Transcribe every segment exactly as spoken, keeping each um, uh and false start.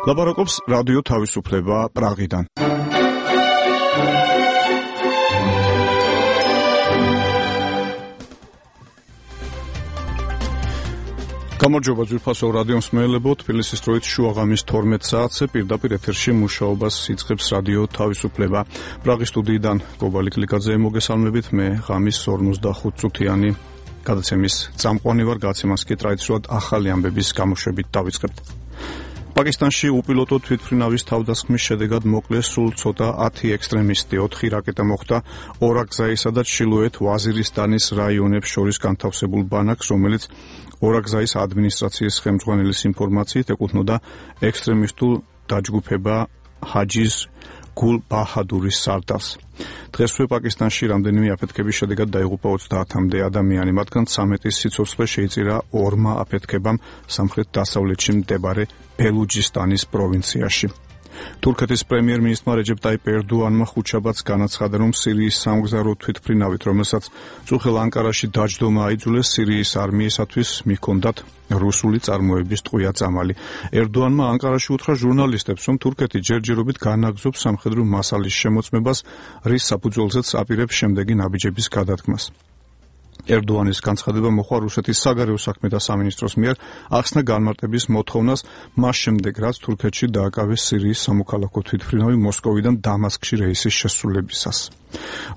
ლაპარაკობს რადიო თავისუფლება პრაღიდან. გამარჯობა ძვირფასო რადიო მსმენელებო, თბილისის დროით შუაღამის თორმეტ საათზე პირდაპირ ეთერში მუშაობას იწყებს რადიო თავისუფლება. პრაღის სტუდიიდან გობალი კლიკაძე მოგესალმებით, მე ღამის ორმოცდახუთ წუთიანი გადაცემის წამყვანი ვარ, გადაცემას კი ტრადიციულად ახალი ამბების გამოშვებით დავიწყებთ. პაკისტანში უპილოტო თვითმფრინავის თავდასხმის შედეგად მოკლეს სულ ცოტა ათი ექსტრემისტი, ოთხი რაკეტა მოხვდა ორაგზაისა და ჩრდილოეთ ვაზირისტანის რაიონებს შორის განთავსებულ ბანაკს, რომელიც ორაგზაის ადმინისტრაციის ხელმძღვანელის ინფორმაციით ეკუთვნოდა ექსტრემისტულ დაჯგუფება ჰაჯის გულ ბაჰადურის სარდალს. დღესვე პაკისტანში რამდენიმე აფეთქების შედეგად დაიღუპა ოცდაათამდე ადამიანი, მათგან ცამეტის სიცოცხლე შეიწირა ორმა აფეთქებამ სამხრეთ-დასავლეთში მდებარე ბელუჯისტანის პროვინციაში. თურქეთის პრემიერ-მინისტრმა რეჯეპ ტაიპ ერდოანმა ხუთშაბათს განაცხადა, რომ სირიის სამგზავრო თვითმფრინავით, რომელსაც წუხელ ანკარაში დაჯდომა აიძულეს, სირიის არმიისათვის მიჰქონდათ რუსული წარმოების ტყვია წამალი. ერდოანმა ანკარაში უთხრა ჟურნალისტებს, რომ თურქეთი ჯერჯერობით განაგზობს სამხედრო მასალის შემოწმებას, რის საფუძველზეც აპირებს შემდეგი ნაბიჯების გადადგმას. ერდოანის განცხადება მოხდა რუსეთის საგარეო საქმეთა სამინისტროს მიერ ახსნა განმარტების მოთხოვნას მას შემდეგ, რაც თურქეთში დააკავეს სირიის სამოქალაქო თვითმფრინავი მოსკოვიდან დამასკში რეისის შესრულებისას.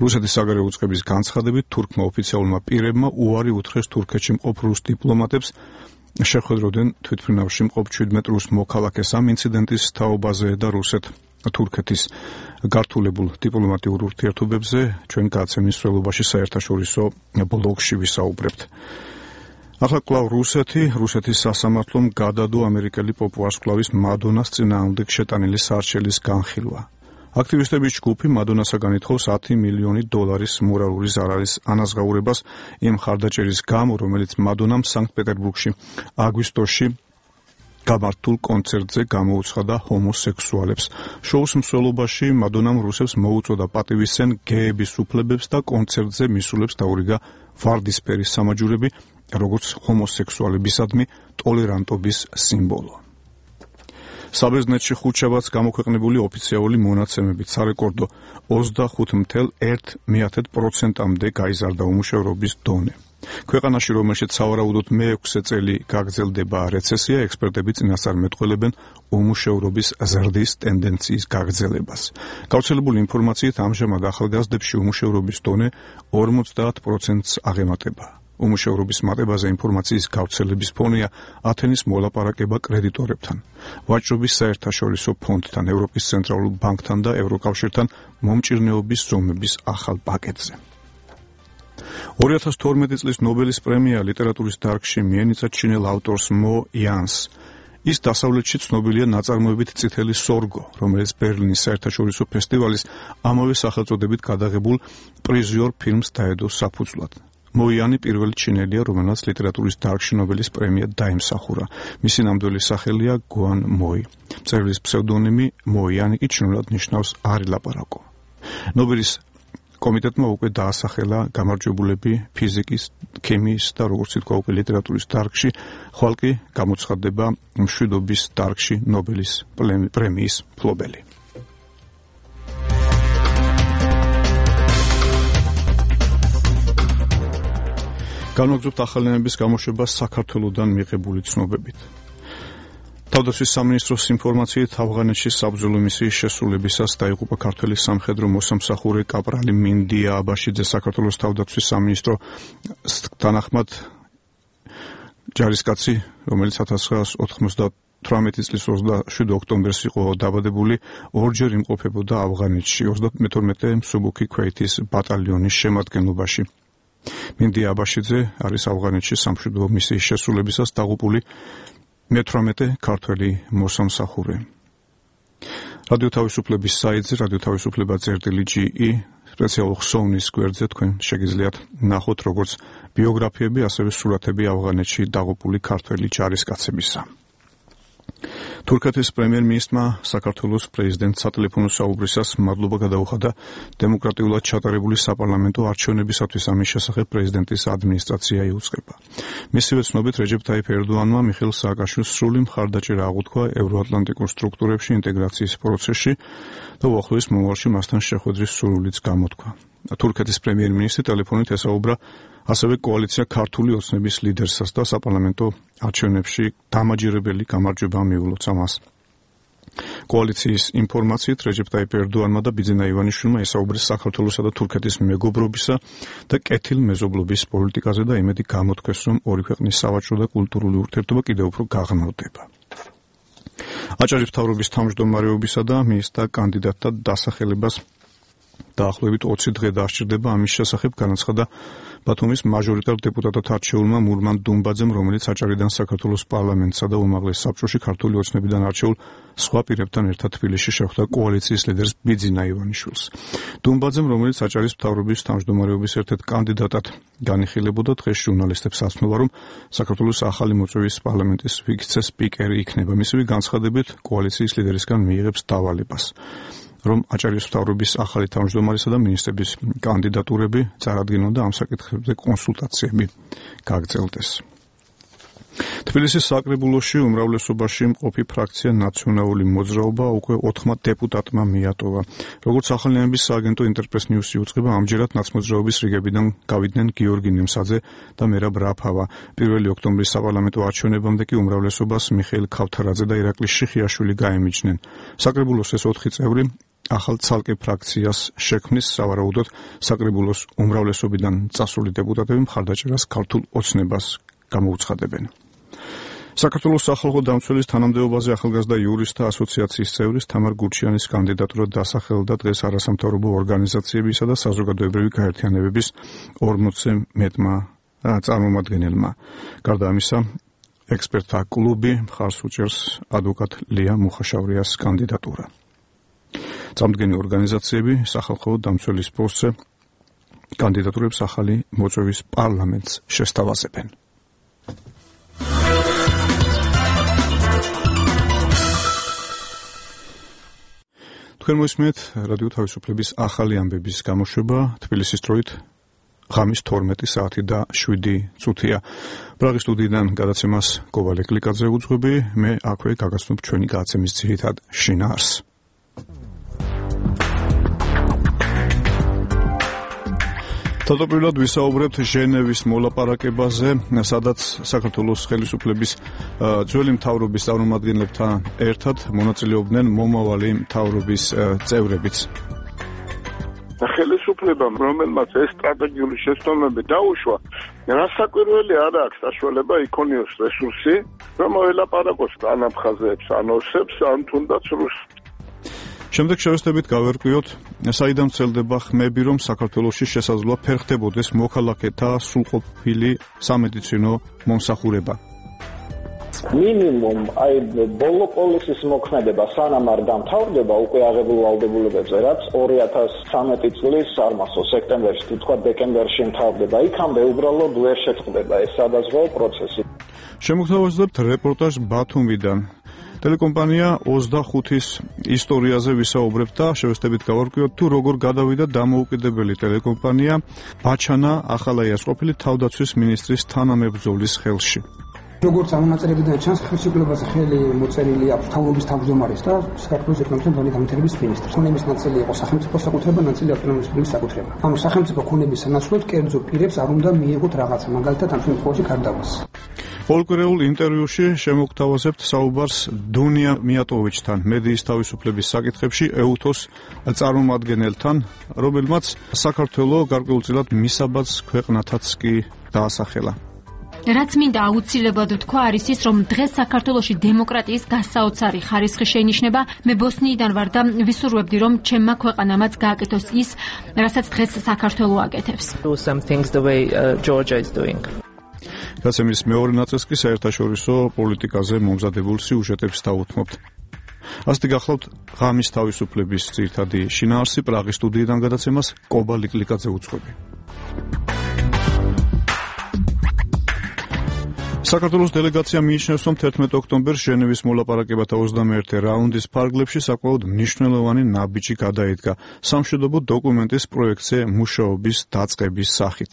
რუსეთის საგარეო უწყების განცხადებით თურქმა ოფიციალურმა პირებმა უარი უთხრეს თურქეთში მყოფ რუს დიპლომატებს შეხვედროდნენ თვითმფრინავში მყოფ შვიდმეტ რუს მოქალაქეს. ამ ინციდენტის თაობაზე და რუსეთ თურქეთის გართულებულ დიპლომატიურ ურთიერთობებზე ჩვენ გადაცემის სრულობაში საერთაშორისო ბლოგში ვისაუბრებთ. ახლა კვლავ რუსეთი, რუსეთის სასამართლომ გადადო ამერიკელი პოპ ვარსკვლავის მადონას წინააღმდეგ შეტანილი სარჩელის განხილვა. აქტივისტების ჯგუფი მადონასაგან ითხოვს ათი მილიონი დოლარის მორალური ზარარის ანაზღაურებას იმ მხარდაჭერის გამო, რომელიც მადონამ სანქტ-პეტერბურგში აგვისტოში გამართულ კონცერტზე გამოუცხადა ჰომოსექსუალებს. შოუს მსვლელობაში მადონამ რუსებს მოუწოდა პატივისცენ გეების უფლებებს და კონცერტზე მისულებს დაურიგა ვარდისფერი სამაჯურები, როგორც ჰომოსექსუალებისადმი ტოლერანტობის სიმბოლო. საბერძნეთში ხუთშაბათს გამოქვეყნებული ოფიციალური მონაცემებით სარეკორდო ოცდახუთ ათეული ერთი პროცენტამდე გაიზარდა უმუშევრობის დონე. ქვეყანაში, რომელშიც სავარაუდოდ მეექვსე წელი გაგრძელდება რეცესია, ექსპერტები წინასწარ მეტყველებენ უმუშევრობის ზრდის ტენდენციის გაგრძელებას. გავრცელებული ინფორმაციით ამჟამად ახალგაზრდებში უმუშევრობის დონე ორმოცდაათ პროცენტს აღემატება. უმუშევრობის მატებაზე ინფორმაციის გავრცელების ფონია ათენის მოლაპარაკება კრედიტორებთან, ვაჭრობის საერთაშორისო ფონდთან, ევროპის ცენტრალურ ბანკთან და ევროკავშირთან მომჭირნეობის ზომების ახალ პაკეტზე. ორი ათას თორმეტი წლის ნობელის პრემია ლიტერატურის დარგში მიენიჭა ჩინელ ავტორს მო იანს. ის დასავლეთში ცნობილია ნაწარმოებით წითელი სორგო, რომელიც ბერლინის საერთაშორისო ფესტივალის ამავე სახელწოდებით გადაღებულ პრიზიორ ფილმს დაედო საფუძვლად. მო იანი პირველი ჩინელია, რომელსაც ლიტერატურის დარგში ნობელის პრემია დაიმსახურა. მისი ნამდვილი სახელია გუან მოი. მწერლის ფსევდონიმი მო იანი კი ჩინურად ნიშნავს არი ლაპარაკო. ნობელის კომიტეტმა უკვე დაასახელა გამარჯვებულები ფიზიკის, ქიმიის და როგორც ითქვა უკვე ლიტერატურის დარგში, ხვალ კი გამოცხადდება მშვიდობის დარგში ნობელის პრემიის მფლობელი. განვაგრძობთ ახალი ამბების გამოშვებას საქართველოდან მიღებული ცნობებით. თავდაცვის სამინისტროს ინფორმაციით ავღანეთში საბრძოლო მისიის შესრულებისას დაიღუპა ქართველი სამხედრო მოსამსახურე კაპრალი მინდია აბაშიძე. საქართველოს თავდაცვის სამინისტრო თანახმად ჯარისკაცი, რომელიც ათას ცხრაას ოთხმოცდათვრამეტი წლის ოცდაშვიდ ოქტომბერს იყო დაბადებული, ორჯერ იმყოფებოდა ავღანეთში ოცდამეთორმეტე მსუბუქი ქვეითის ბატალიონის შემადგენლობაში. მინდია აბაშიძე არის ავღანეთში სამშვიდობო მისიის შესრულებისას დაღუპული მეთვრამეტე ქართველი მოსამსახურე. რადიო თავისუფლების საიტზე რადიო თავისუფლება წერტილი ჯი ი სპეციალურ ხსოვნის გვერდზე თქვენ შეგიძლიათ ნახოთ როგორც ბიოგრაფიები, ასევე სურათები ავღანეთში დაღუპული ქართველი ჯარისკაცებისა. თურქეთის პრემიერ-მინისტრმა საქართველოს პრეზიდენტ სატელეფონო საუბრისას მადლობა გადაუხადა დემოკრატიულად ჩატარებული საპარლამენტო არჩევნებისათვის ამის შესახებ პრეზიდენტის ადმინისტრაცია იუწყება. მისივე ცნობით რეჯეფ ტაიფ ერდოანმა მიხეილ სააკაშვილს სრული მხარდაჭერა აღუთქვა ევროატლანტიკურ სტრუქტურებში ინტეგრაციის პროცესში და უახლოეს მომავალში მასთან შეხვედრის სურვილიც გამოთქვა. თურქეთის პრემიერ-მინისტრი ტელეფონით ესაუბრა ასევე კოალიცია ქართული ოცნების ლიდერსაც და საპარლამენტო არჩევნებში დამაჯერებელი გამარჯვება მიულოცა მას. კოალიციის ინფორმაციით რეჯეფ ტაიფ ერდოანმა და ბიძინა ივანიშვილმა ესაუბრეს საქართველოსა და თურქეთის მეგობრობისა და კეთილმეზობლობის პოლიტიკაზე და იმედი გამოთქვეს, რომ ორი ქვეყნის სავაჭრო და კულტურული ურთიერთობა კიდევ უფრო გაღრმავდება. აჭარის მთავრობის თავმჯდომარეობისა და მინისტრთა კანდიდატთა დასახელებას დაახლოებით ოცი დღე დასჭირდება. ამის შესახებ განაცხადა ბათუმის მაჟორიტარ დეპუტატად არჩეულმა მურმან დუმბაძემ, რომელიც აჭარიდან საქართველოს პარლამენტსა და უმაღლეს საბჭოში ქართული ოცნებიდან არჩეულ სხვა პირებთან ერთად თბილისში შეხვდა კოალიციის ლიდერს ბიძინა ივანიშვილს. დუმბაძემ, რომელიც აჭარის მთავრობის თავმჯდომარეობის ერთ-ერთ კანდიდატად განიხილებოდა, დღეს ჟურნალისტებს ასწნულა, რომ საქართველოს ახალი მოწვევის პარლამენტის ვიცე-სპიკერი იქნება. მისივე განცხადებით კოალიციის ლიდერისგან მიიღებს დავალებას, რომ აჭარის მთავრობის ახალი თავმჯდომარისა და მინისტრების კანდიდატურები წარადგინონ და ამ საკითხებზე კონსულტაციები გაგრძელდეს. თბილისის საკრებულოში უმრავლესობაში მყოფი ფრაქცია ნაციონალური მოძრაობა უკვე ოთხმა დეპუტატმა მიატოვა. როგორც ახალი ენების სააგენტო ინტერპრეს ნიუსი იუწყება, ამჯერად ნაცმოძრაობის რიგებიდან გავიდნენ გიორგი ნემსაძე და მერაბ რაფავა. პირველი ოქტომბრის საპარლამენტო არჩევნებამდე კი უმრავლესობას მიხეილ ქავთარაძე და ირაკლი შიხიაშვილი გაემიჯნენ. საკრებულოს ეს ოთხი წევრი ახალ ცალკე ფრაქციას შექმნის, სავარაუდოდ საკრებულოს უმრავლესობიდან წასული დეპუტატები მხარდაჭერას ქართულ ოცნებას გამოუცხადებენ. საქართველოს სახალხო დამცველის თანამდებობაზე ახალგაზრდა იურისტთა ასოციაციის წევრის თამარ გურჩიანის კანდიდატურა დასახელდა დღეს არასამთავრობო ორგანიზაციებისა და საზოგადოებრივი გაერთიანებების ორმოცზე მეტმა წარმომადგენელმა. გარდა ამისა, ექსპერტთა კლუბი მხარს უჭერს ადვოკატ ლია მუხაშავრიას კანდიდატურა. წამდგენი ორგანიზაციები სახალხო დამცველის პოსტზე კანდიდატურებს ახალი მოწვევის პარლამენტს შესთავაზებენ. თქვენ მოისმენთ რადიო თავისუფლების ახალი ამბების გამოშვება თბილისის დროით ღამის თორმეტი საათი და შვიდი წუთია. პრაღის სტუდიიდან გადაცემას კოვალე კლიკაძე უძღვები, მე აქვე გაგაცნობ ჩვენი გადაცემის ძირითად შინაარსს. თავდაპირველად ვისაუბრებთ ჟენევის მოლაპარაკებაზე, სადაც საქართველოს ხელისუფლების ძველი მთავრობის წარმომადგენლებთან ერთად მონაწილეობდნენ მომავალი მთავრობის წევრებიც. ხელისუფლებამ, რომელმაც ეს სტრატეგიული შესწავლები დაუშვა, რასაკვირველი არ აქვს საშუალება იქონიოს რესურსი, რომ მოელაპარაკოს ან აფხაზებს, ან ოსებს, ან თუნდაც რუსს. შემდეგ შევესწრებით გავერკვიოთ, საიდან ვრცელდება ხმები, რომ საქართველოში შესაძლოა ფერხდებოდეს მოქალაქეთა სრულყოფილი სამედიცინო მომსახურება. მინიმუმ აი ბოლო პოლისის მოქმედება სანამ არ დამთავრდება უკვე აღებულ ვალდებულებებზე, რაც ორი ათას ცხრამეტი წლის არ მახსოვს სექტემბერში თუ თქვა დეკემბერში მთავრდება, იქამდე უბრალოდ ვერ შეწყდება ეს სადაზღვეო პროცესი. შემოგთავაზებთ რეპორტაჟ ბათუმიდან. ტელეკომპანია ოცდახუთის ისტორიაზე ვისაუბრებთ და შევესწრებით გავარკვიოთ, თუ როგორ გადავიდა დამოუკიდებელი ტელეკომპანია ბაჩანა ახალაიას ყოფილი თავდაცვის მინისტრის თანამებრძოლის ხელში. როგორც ამონაწერებიდან ჩანს, ხელისუფლებაზე ხელი მოწერილი აქვს მთავრობის თავმჯდომარის და საქართველოს ეკონომიკური განვითარების მინისტრს. ქონების ნაწილი იყო სახელმწიფო საკუთრება, ნაწილი ავტონომიური რესპუბლიკის საკუთრება. ანუ სახელმწიფო ქონების სანაცვლოდ კერძო პირებს არ უნდა მიიღოთ რაღაცა, მაგალითად ამ შემთხვევაში გარდავალს. ფოლკლორულ ინტერვიუში შემოგთავაზებთ საუბარს დუნია მიატოვიჩთან, მედიის თავისუფლების საკითხებში ეუთოს წარმომადგენელთან, რომელმაც საქართველო გარკვეულწილად მისაბაძ ქვეყნათაც კი დაასახელა. რაც მინდა აუცილებლად თქვა არის ის, რომ დღეს საქართველოში დემოკრატიის გასაოცარი ხარისხი შეინიშნება. მე ბოსნიიდან ვარ და ვისურვებდი, რომ ჩემმა ქვეყანამაც გააკეთოს ის, რასაც დღეს საქართველო აკეთებს. გაცემის მეორე ნაწილს კი საერთაშორისო პოლიტიკაზე მომზადებულ სიუჟეტებს დავუთმობთ. ასეთი გახლავთ ღამის თავისუფლების ძირითადი შინაარსი. პრაღის სტუდიიდან გადაცემას კობალი კლიკაძე უძღვები. საქართველოს დელეგაცია მიიჩნევს, რომ თერთმეტ ოქტომბერს ჟენევის მოლაპარაკებათა ოცდამეერთე რაუნდის ფარგლებში საკმაოდ მნიშვნელოვანი ნაბიჯი გადაიდგა სამშვიდობო დოკუმენტის პროექტზე მუშაობის დაწყების სახით.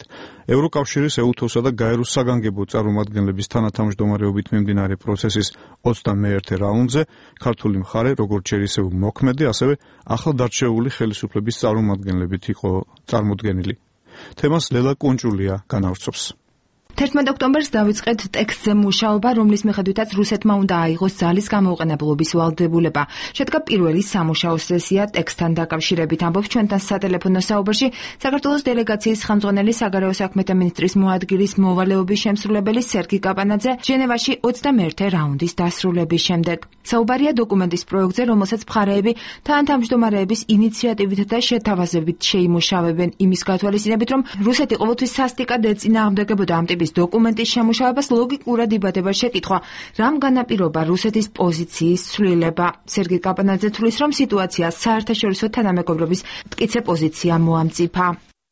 ევროკავშირის ეუთოსა და გაეროს საგანგებო წარმომადგენლების თანათავმჯდომარეობით მიმდინარე პროცესის ოცდამეერთე რაუნდზე ქართული მხარე როგორც ჯერ ისევ მოქმედი, ასევე ახლადარჩეული ხელისუფლების წარმომადგენლებით იყო წარმოდგენილი. თემას ლელა კუნჭულია განავრცობს. თერთმეტ ოქტომბერს დავიწყეთ ტექსტზე მუშაობა, რომლის მიხედვითაც რუსეთმა უნდა აიღოს ძალის გამოუყენებლობის ვალდებულება. შედგა პირველი სამუშაო სესია ტექსტთან დაკავშირებით. ამბობს ჩვენთან სატელეფონო საუბარში საქართველოს დელეგაციის ხელმძღვანელი საგარეო საქმეთა მინისტრის მოადგილის მოვალეობის შემსრულებელი სერგი კაპანაძე ჟენევაში ოცდამეერთე რაუნდის დასრულების შემდეგ. საუბარია დოკუმენტის პროექტზე, რომელსაც მხარეები თანათავმჯდომარეების ინიციატივით და შეთავაზებით შეიმუშავებენ, იმის გათვალისწინებით, რომ რუსეთი ყოველთვის სასტიკად ეწინააღმდეგებოდა ამ ტიპის დოკუმენტის შემუშავებას. ლოგიკურად იბადება შეკითხვა, რამ განაპირობა რუსეთის პოზიციის ცვლილება. სერგი კაპანაძე თვლის, რომ სიტუაცია საერთაშორისო თანამეგობრობის მტკიცე პოზიცია მოამწიფა.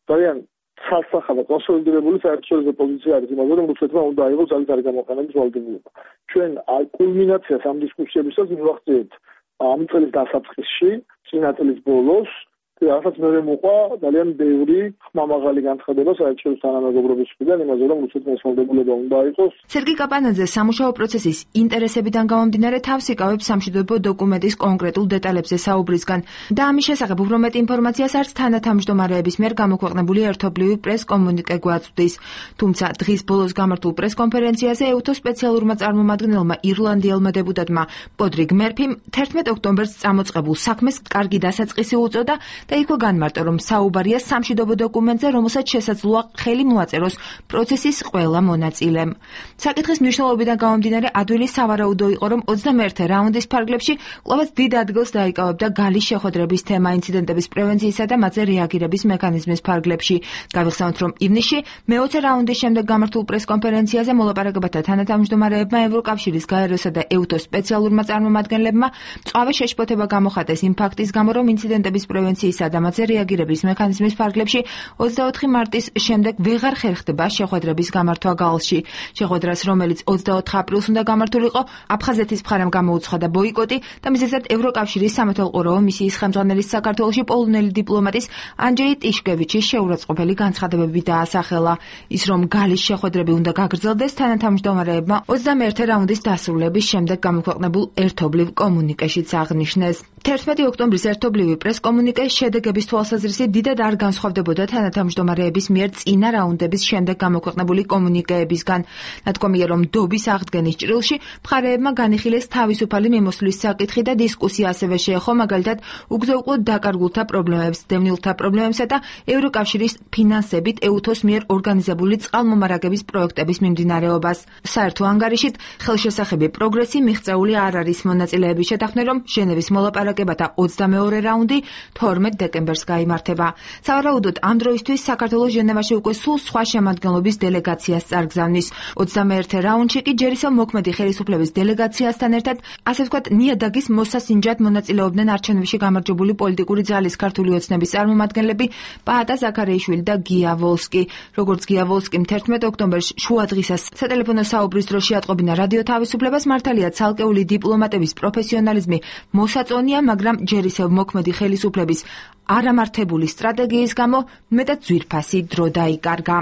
ძალიან ცალსახა და კონსოლიდირებული საერთაშორისო პოზიცია არის იმაზე, რომ რუსეთმა უნდა აიღოს ძალის არ გამოყენების ვალდებულება. ჩვენ კულმინაციას ამ დისკუსიებისას მივახციეთ ამ წლის დასაწყისში, წინა წლის ბოლოს. რასაც მე მოყვა ძალიან ბევრი ხმამაღალი განცხადება საერთაშორისო თანამეგობრობის მხრიდან იმაზე, რომ რუსეთმა ეს ვალდებულება უნდა აიღოს. სერგი კაპანაძე სამუშაო პროცესის ინტერესებიდან გამომდინარე თავს იკავებს სამშვიდობო დოკუმენტის კონკრეტულ დეტალებზე საუბრისგან და ამის შესახებ უფრო მეტ ინფორმაციას არც თანათავმჯდომარეების მიერ გამოქვეყნებული ერთობლივი პრეს-კომუნიკე გვაწვდის. თუმცა დღის ბოლოს გამართულ პრეს-კონფერენციაზე ეუთოს სპეციალურმა წარმომადგენელმა ირლანდიელმა დეპუტატმა პოდრიგ მერფიმ თერთმეტ ოქტომბერს წამოწყებულ საქმეს კარგი დასაწყისი უწოდა და იქ განმარტა, რომ საუბარია სამშვიდობო დოკუმენტზე, რომელსაც შესაძლოა ხელი მოაწეროს პროცესის ყველა მონაწილემ. საკითხის მნიშვნელობიდან გამომდინარე, ადვილი სავარაუდო იყო, რომ ოცდამეერთე რაუნდის ფარგლებში კვლავაც დიდ ადგილს დაიკავებდა გალის შეხვედრების თემა ინციდენტების პრევენციისა და მათზე რეაგირების მექანიზმის ფარგლებში. გავიხსენოთ, რომ ივნისში მეოცე რაუნდის შემდეგ გამართულ პრეს-კონფერენციაზე მოლაპარაკებათა თანათავმჯდომარეებმა ევროკავშირის, გაეროსა და ეუთოს სპეციალურმა წარმომადგენლებმა მწვავე შეშფოთება გამოხატეს იმ ფაქტის გამო, რომ ინციდენტების პრევენციის და მათზე რეაგირების მექანიზმის ფარგლებში ოცდაოთხი მარტის შემდეგ ვეღარ ხერხდება შეხვედრების გამართვა გალსში. შეხვედრას, რომელიც ოცდაოთხ აპრილს უნდა გამართულიყო, აფხაზეთის მხარემ გამოუცხადა ბოიკოტი და მიზეზად ევროკავშირის სამეთვალყურეო მისიის ხელმძღვანელის საქართველოში პოლონელი დიპლომატის ანჯეი ტიშკევიჩის შეურაცხყოფელი განცხადებები დაასახელა. ის, რომ გალის შეხვედრები უნდა გაგრძელდეს, თანათავმჯდომარეებმა ოცდამეერთე რაუნდის დასრულების შემდეგ გამოქვეყნებულ ერთობლივ კომუნიკეშიც აღნიშნეს. თერთმეტი ოქტომბრის ერთობლივი პრეს-კომუნიკე შედეგების თვალსაზრისით დიდად არ განსხვავდებოდა თანათავმჯდომარეების მიერ წინა რაუნდების შემდეგ გამოქვეყნებული კომუნიკეებისგან. ნათქვამია, რომ დობის აღდგენის ჭრილში მხარეებმა განიხილეს თავისუფალი მიმოსვლის საკითხი და დისკუსია ასევე შეეხო მაგალითად უგზო-უკვლოდ დაკარგულთა პრობლემებს, დევნილთა პრობლემებსა და ევროკავშირის ფინანსებით ეუთოს მიერ ორგანიზებული წყალმომარაგების პროექტების მიმდინარეობას. საერთო ანგარიშით ხელშესახები პროგრესი მიღწეული არ არის. მონაწილეების შეთანხმდნენ, რომ ჟენევის მოლაპარაკებათა ოცდამეორე რაუნდი თორმეტ დეკემბერს გაიმართება. სავარაუდოდ ამ დროისთვის საქართველოს ჟენევაში უკვე სულ სხვა შემადგენლობის დელეგაციას წარგზავნის. ოცდამეერთე რაუნდში კი ჯერ ისევ მოქმედი ხელისუფლების დელეგაციასთან ერთად, ასე ვთქვათ, ნიადაგის მოსასინჯად მონაწილეობდნენ არჩევნებში გამარჯვებული პოლიტიკური ძალის ქართული ოცნების წარმომადგენლები პაატა ზაქარიაშვილი და გია ვოლსკი. როგორც გია ვოლსკიმ თერთმეტ ოქტომბერს შუადღისას სატელეფონო საუბრის დროს შეატყობინა რადიო თავისუფლებას, მართალია ცალკეული დიპლომატების პროფესიონალიზმი მოსაწონია, მაგრამ ჯერ ისევ მოქმედი ხელისუფლების არამართებული სტრატეგიის გამო მეტად ძვირფასი დრო დაიკარგა.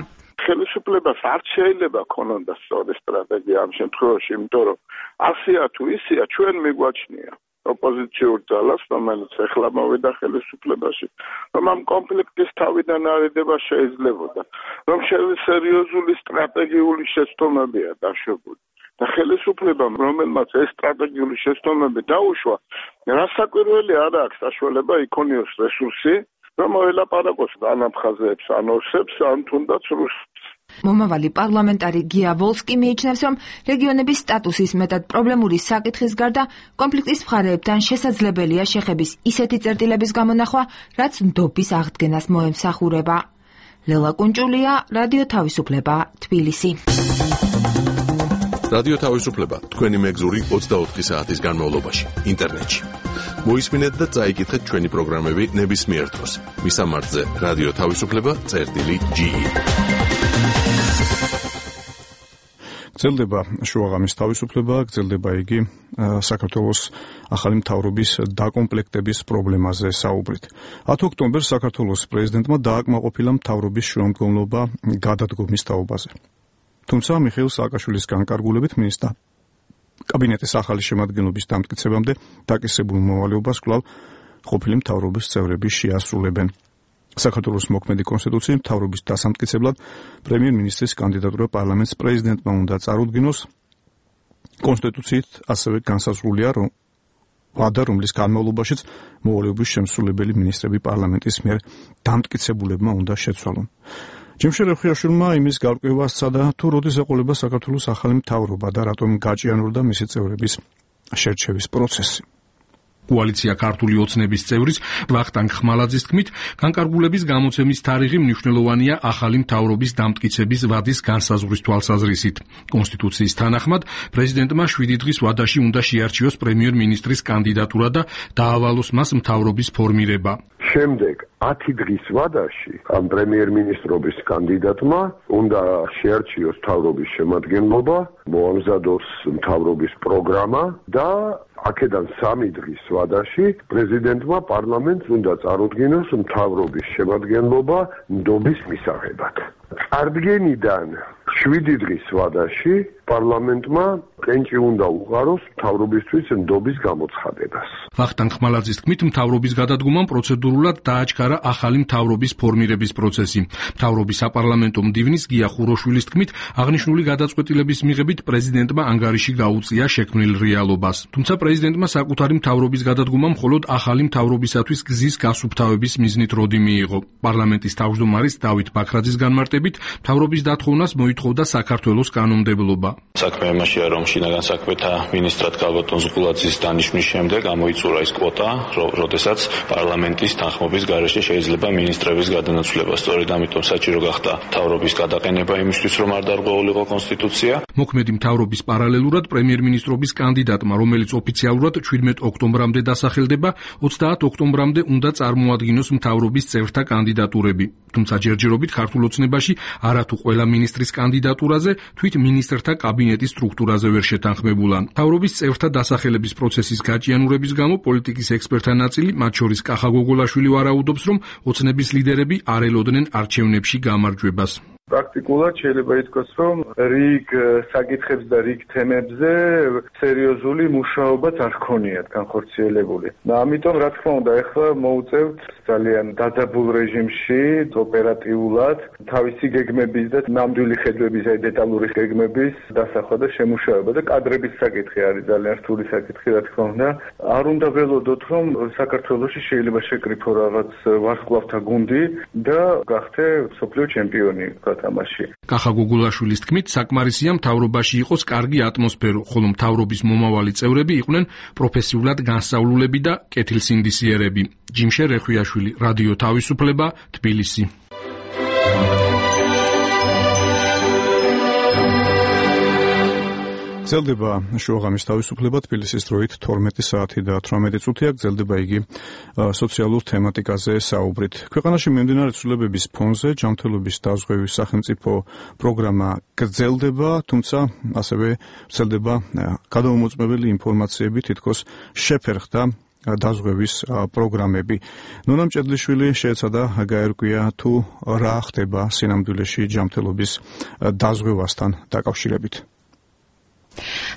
ხელისუფლებას არ შეიძლება ქონოდა სწორი სტრატეგია ამ შემთხვევაში, იმიტომ რომ ასია თუ ისია ჩვენ მიგვაჩნია ოპოზიციურ ძალას, რომელიც ეხლა მოვიდა ხელისუფლებაში, რომ ამ კონფლიქტის თავიდან არიდება შეიძლებოდა, რომ სერიოზული სტრატეგიული შეცდომებია დაშვებული. და ხელისუფლებამ, რომელმაც ეს სტრატეგიული შეცდომები დაუშვა, რასაკვირველი არ აქვს საშუალება იქონიოს რესურსი, რომ მოელაპარაკოს ან აფხაზებს, ან ოსებს, ან თუნდაც რუსებს. მომავალი პარლამენტარი გია ვოლსკი მიიჩნევს, რომ რეგიონების სტატუსის მეტად პრობლემური საკითხის გარდა კონფლიქტის მხარეებთან შესაძლებელია შეხების ისეთი წერტილების გამონახვა, რაც ნდობის აღდგენას მოემსახურება. ლელა კუნჭულია, რადიო თავისუფლება, თბილისი. რადიო თავისუფლება თქვენი მეგზური ოცდაოთხი საათის განმავლობაში ინტერნეტში. მოისმინეთ და წაიკითხეთ ჩვენი პროგრამები ნებისმიერ დროს. მისამართზე რადიო თავისუფლება წერტილი ჯი. გრძელდება შუაღამის თავისუფლება, გრძელდება იგი საქართველოს ახალი მთავრობის დაკომპლექტების პრობლემაზე საუბრით. ათი ოქტომბერს საქართველოს პრეზიდენტმა დააკმაყოფილა მთავრობის შუამდგომლობა გადადგომის თაობაზე. თუმცა მიხეილ სააკაშვილის განკარგულებით მინისტრთა კაბინეტის ახალი შემადგენლობის დამტკიცებამდე დაკისრებულ მოვალეობას კვლავ ყოფილი მთავრობის წევრები შეასრულებენ. საქართველოს მოქმედი კონსტიტუციის მთავრობის დასამტკიცებლად პრემიერ-მინისტრის კანდიდატურა პარლამენტის პრეზიდენტმა უნდა წარუდგინოს. კონსტიტუციით ასევე განსაზღვრულია, რომ ვადა, რომლის განმავლობაშიც მოვალეობის შემსრულებელი მინისტრები პარლამენტის მიერ დამტკიცებულებმა უნდა შეცვალონ. ჯიმშე რეხუიაშვილმა იმის გარკვევა სცადა, თუ როდის ეყოლება საქართველოს ახალი მთავრობა და რატომ გაჭიანურდა მისი წევრების შერჩევის პროცესი. კოალიცია ქართული ოცნების წევრის ვახტანგ ხმალაძის თქმით, განკარგულების გამოცემის თარიღი მნიშვნელოვანია ახალი მთავრობის დამტკიცების ვადის განსაზღვრის თვალსაზრისით. კონსტიტუციის თანახმად, პრეზიდენტმა შვიდი დღის ვადაში უნდა შეარჩიოს პრემიერ-მინისტრის კანდიდატურა და დაავალოს მას მთავრობის ფორმირება. შემდეგ ათი დღის ვადაში ამ პრემიერ-მინისტრობის კანდიდატმა უნდა შეარჩიოს მთავრობის შემადგენლობა, მოამზადოს მთავრობის პროგრამა და აქედან სამი დღის ვადაში პრეზიდენტმა პარლამენტს უნდა წარუდგინოს მთავრობის შემადგენლობა ნდობის მისაღებად. წარდგენიდან შვიდი დღის ვადაში პარლამენტმა კენჭი უნდა უყაროს მთავრობისთვის ნდობის გამოცხადებას. ვახტანგ ხმალაძის თქმით, მთავრობის გადადგომამ პროცედურულად დააჩქარა ახალი მთავრობის ფორმირების პროცესი. მთავრობის საპარლამენტო მდივნის გია ხუროშვილის თქმით, აღნიშნული გადაწყვეტილების მიღებით პრეზიდენტმა ანგარიში გაუწია შექმნილ რეალობას. თუმცა პრეზიდენტმა საკუთარი მთავრობის გადადგომა მხოლოდ ახალი მთავრობისათვის გზის გასუფთავების მიზნით როდი მიიღო. პარლამენტის თავმჯდომარის დავით ბაქრაძის განმარტებით, მთავრობის დათხოვნას მოითხოვდა საქართველოს კანონმდებლობა. საქმე იმაშია, რომ შინაგან საქმეთა მინისტრად გალბატონ ზღულაძის დანიშვნის შემდეგ გამოიწურა ის კვოტა, როდესაც პარლამენტის თანხმობის გარეშე შეიძლება მინისტრების გადანაცვლება. სწორედ ამიტომ საჭირო გახდა მთავრობის გადაყენება იმისთვის, რომ არ დარღვეულიყო კონსტიტუცია. მოქმედი მთავრობის პარალელურად პრემიერ-მინისტრობის კანდიდატმა, რომელიც ოფიციალურად შვიდმეტ ოქტომბრამდე დასახელდება, ოცდაათ ოქტომბრამდე უნდა წარმოადგინოს მთავრობის წევრთა კანდიდატურები. თუმცა ჯერჯერობით ქართულ ოცნებაში არათუ ყველა მინისტრის კანდიდატურაზე, თვით მინისტრთა კაბინეტის სტრუქტურაზე ვერ შეთანხმებულა. მთავრობის წევრთა დასახელების პროცესის გაჭიანურების გამო პოლიტიკის ექსპერტთა ნაწილი, მათ შორის კახა გოგოლაშვილი ვარაუდობს, რომ ოცნების ლიდერები არ ელოდნენ არჩევნებში გამარჯვებას. პრაქტიკულად შეიძლება ითქვას, რომ რიგ საკითხებს და რიგ თემებზე სერიოზული მუშაობაც არ ქონიათ განხორციელებული. და ამიტომ, რა თქმა უნდა, ახლა მოუწევთ ძალიან დაძაბულ რეჟიმში ოპერატიულად თავისი გეგმების და ნამდვილი ხედვების, აი დეტალური გეგმების დასახვა და შემუშავება და კადრების საკითხი არის ძალიან რთული საკითხი, რა თქმა უნდა. არ უნდა ველოდოთ, რომ საქართველოში შეიძლება შეკრიფო რაღაც ვარსკვლავთა გუნდი და გახდე მსოფლიო ჩემპიონი. კახა გოგოლაშვილის თქმით, საკმარისია მთავრობაში იყოს კარგი ატმოსფერო, ხოლო მთავრობის მომავალი წევრები იყვნენ პროფესიულად განსწავლულები და კეთილსინდისიერები. ჯიმშე რეხუიაშვილი, რადიო თავისუფლება, თბილისი. გრძელდება შუაღამის თავისუფლება თბილისის დროით თორმეტი საათი და თვრამეტი წუთია. გრძელდება იგი სოციალურ თემატიკაზე საუბრით. ქვეყანაში მიმდინარე ცვლილებების ფონზე ჯანმრთელობის დაზღვევის სახელმწიფო პროგრამა გრძელდება, თუმცა ასევე ვრცელდება გადამომოწმებელი ინფორმაციები, თითქოს შეფერხდა დაზღვევის პროგრამები. ნონა მჭედლიშვილი შეეცადა გაერკვია, თუ რა ხდება სინამდვილეში ჯანმრთელობის დაზღვევასთან დაკავშირებით.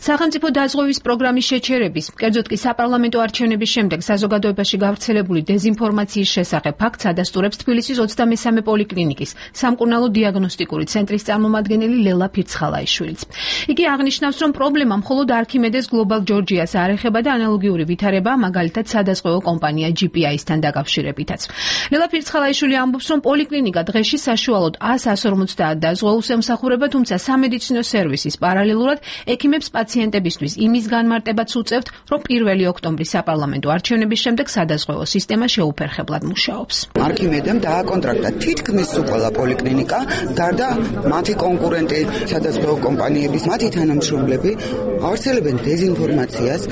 სახელმწიფო დაზღვევის პროგრამის შეჩერების, კერძოდ კი საპარლამენტო არჩევნების შემდეგ საზოგადოებაში გავრცელებული დეზინფორმაციის შესახებ ფაქტს ადასტურებს თბილისის ოცდამესამე პოლიკლინიკის სამკურნალო დიაგნოსტიკური ცენტრის წარმომადგენელი ლელა ფირცხალაიშვილიც. იგი აღნიშნავს, რომ პრობლემა მხოლოდ არქიმედეს გლობალ ჯორჯიას არ ეხება და ანალოგიური ვითარება, მაგალითად სადაზღვევო კომპანია ჯი პი აის-თან დაკავშირებითაც. ლელა ფირცხალაიშვილი ამბობს, რომ პოლიკლინიკა დღეში საშუალოდ ას ას ორმოცდაათ დაზღვეულს ემსახურება, თუმცა სამედიცინო სერვისის პარალელურად ექიმებს პაციენტებისთვის იმის განმარტებაც უწევთ, რომ პირველი ოქტომბრის საპარლამენტო არჩევნების შემდეგ სადაზღვევო სისტემა შეუფერხებლად მუშაობს. არქიმედემ დააკონტრაქტა თითქმის ყველა პოლიკლინიკა, გარდა მათი კონკურენტი სადაზღვევო კომპანიების, მათი თანამშრომლები ავრცელებენ დეზინფორმაციას,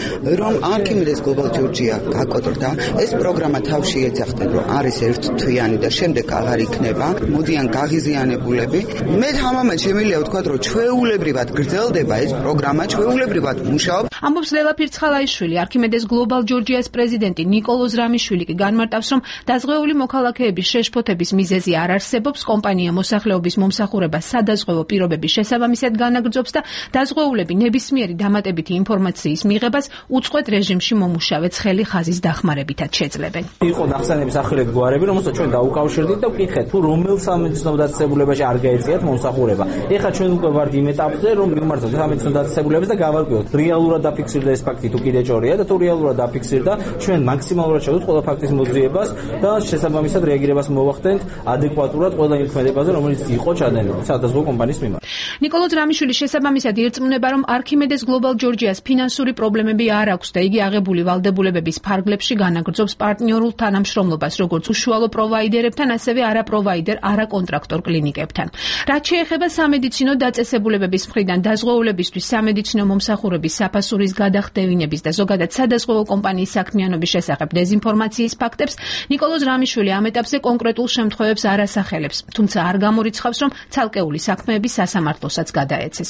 რომ არქიმედეს გლობალ ჯორჯია გაკოტრდა, ეს პროგრამა თავში ეძახდნენ, რომ არის ერთთვიანი და შემდეგ აღარ იქნება, მოდიან გაღიზიანებულები. მე თამამად შემიძლია ვთქვა, რომ ჩვეულებრივად გრძელდება ეს პროგრამა, ჩვეულებრივად მუშაობს. ამბობს ლელა ფირცხალაიშვილი, არქიმედეს გლობალ ჯორჯიას პრეზიდენტი ნიკოლოზ რამიშვილი კი განმარტავს, რომ დაზღვეული მოქალაქეების შეშფოთების მიზეზი არ არსებობს, კომპანია მოსახლეობის მომსახურებას სადაზღვევო პირობების შესაბამისად განაგრძობს და დაზღვეულები ნებისმიერი დამატებითი ინფორმაციის მიღებას უწყვეტ რეჟიმში მომუშავე ცხელი ხაზის დახმარებითაც შეძლებენ. იყო ნახსენების ახალები გვარები, რომელსაც ჩვენ დაუკავშირდით და ვკითხეთ, თუ რომელ სამედიცინო დაწესებულებაში არ გაეწიათ მომსახურება. ეხლა ჩვენ უკვე ვართ იმ ეტაპზე, რომ მივმართოთ სამედიცინო დაწესებულებას და გავარკვიოთ, რეალურად დაფიქსირდა ეს ფაქტი თუ კიდე ჭორია და თუ რეალურად დაფიქსირდა, ჩვენ მაქსიმალურად შევდოთ ყველა ფაქტის მოძიებას და შესაბამისად რეაგირებას მოვახდენთ ადეკვატურად ყველა იმ ქმედებაზე, რომელიც იყო ჩადენილი სადაზღვევო კომპანიის მიმართ. ნიკოლოზ რამიშვილის შესაბამისად ირწმუნება, რომ არქიმედეს გლობალ ჯორჯიას ფინანსური პრობლემები არ აქვს და იგი აღებული ვალდებულებების ფარგლებში განაგრძობს პარტნიორულ თანამშრომლობას, როგორც უშუალო პროვაიდერებთან, ასევე არაპროვაიდერ, არაკონტრაქტორ კლინიკებთან. რაც შეეხება სამედიცინო დაწესებულებების მხრიდან დაზღვეულებისთვის სამედიცინო მომსახურების საფასურის გადახდევინების და ზოგადად სადაზღვევო კომპანიის საქმიანობის შესახებ დეზინფორმაციის ფაქტებს, ნიკოლოზ რამიშვილი ამ ეტაპზე კონკრეტულ შემთხვევებს არ ასახელებს, თუმცა არ გამორიცხავს, რომ ცალკეული საქმეები სასამართლოსაც გადაეცეს.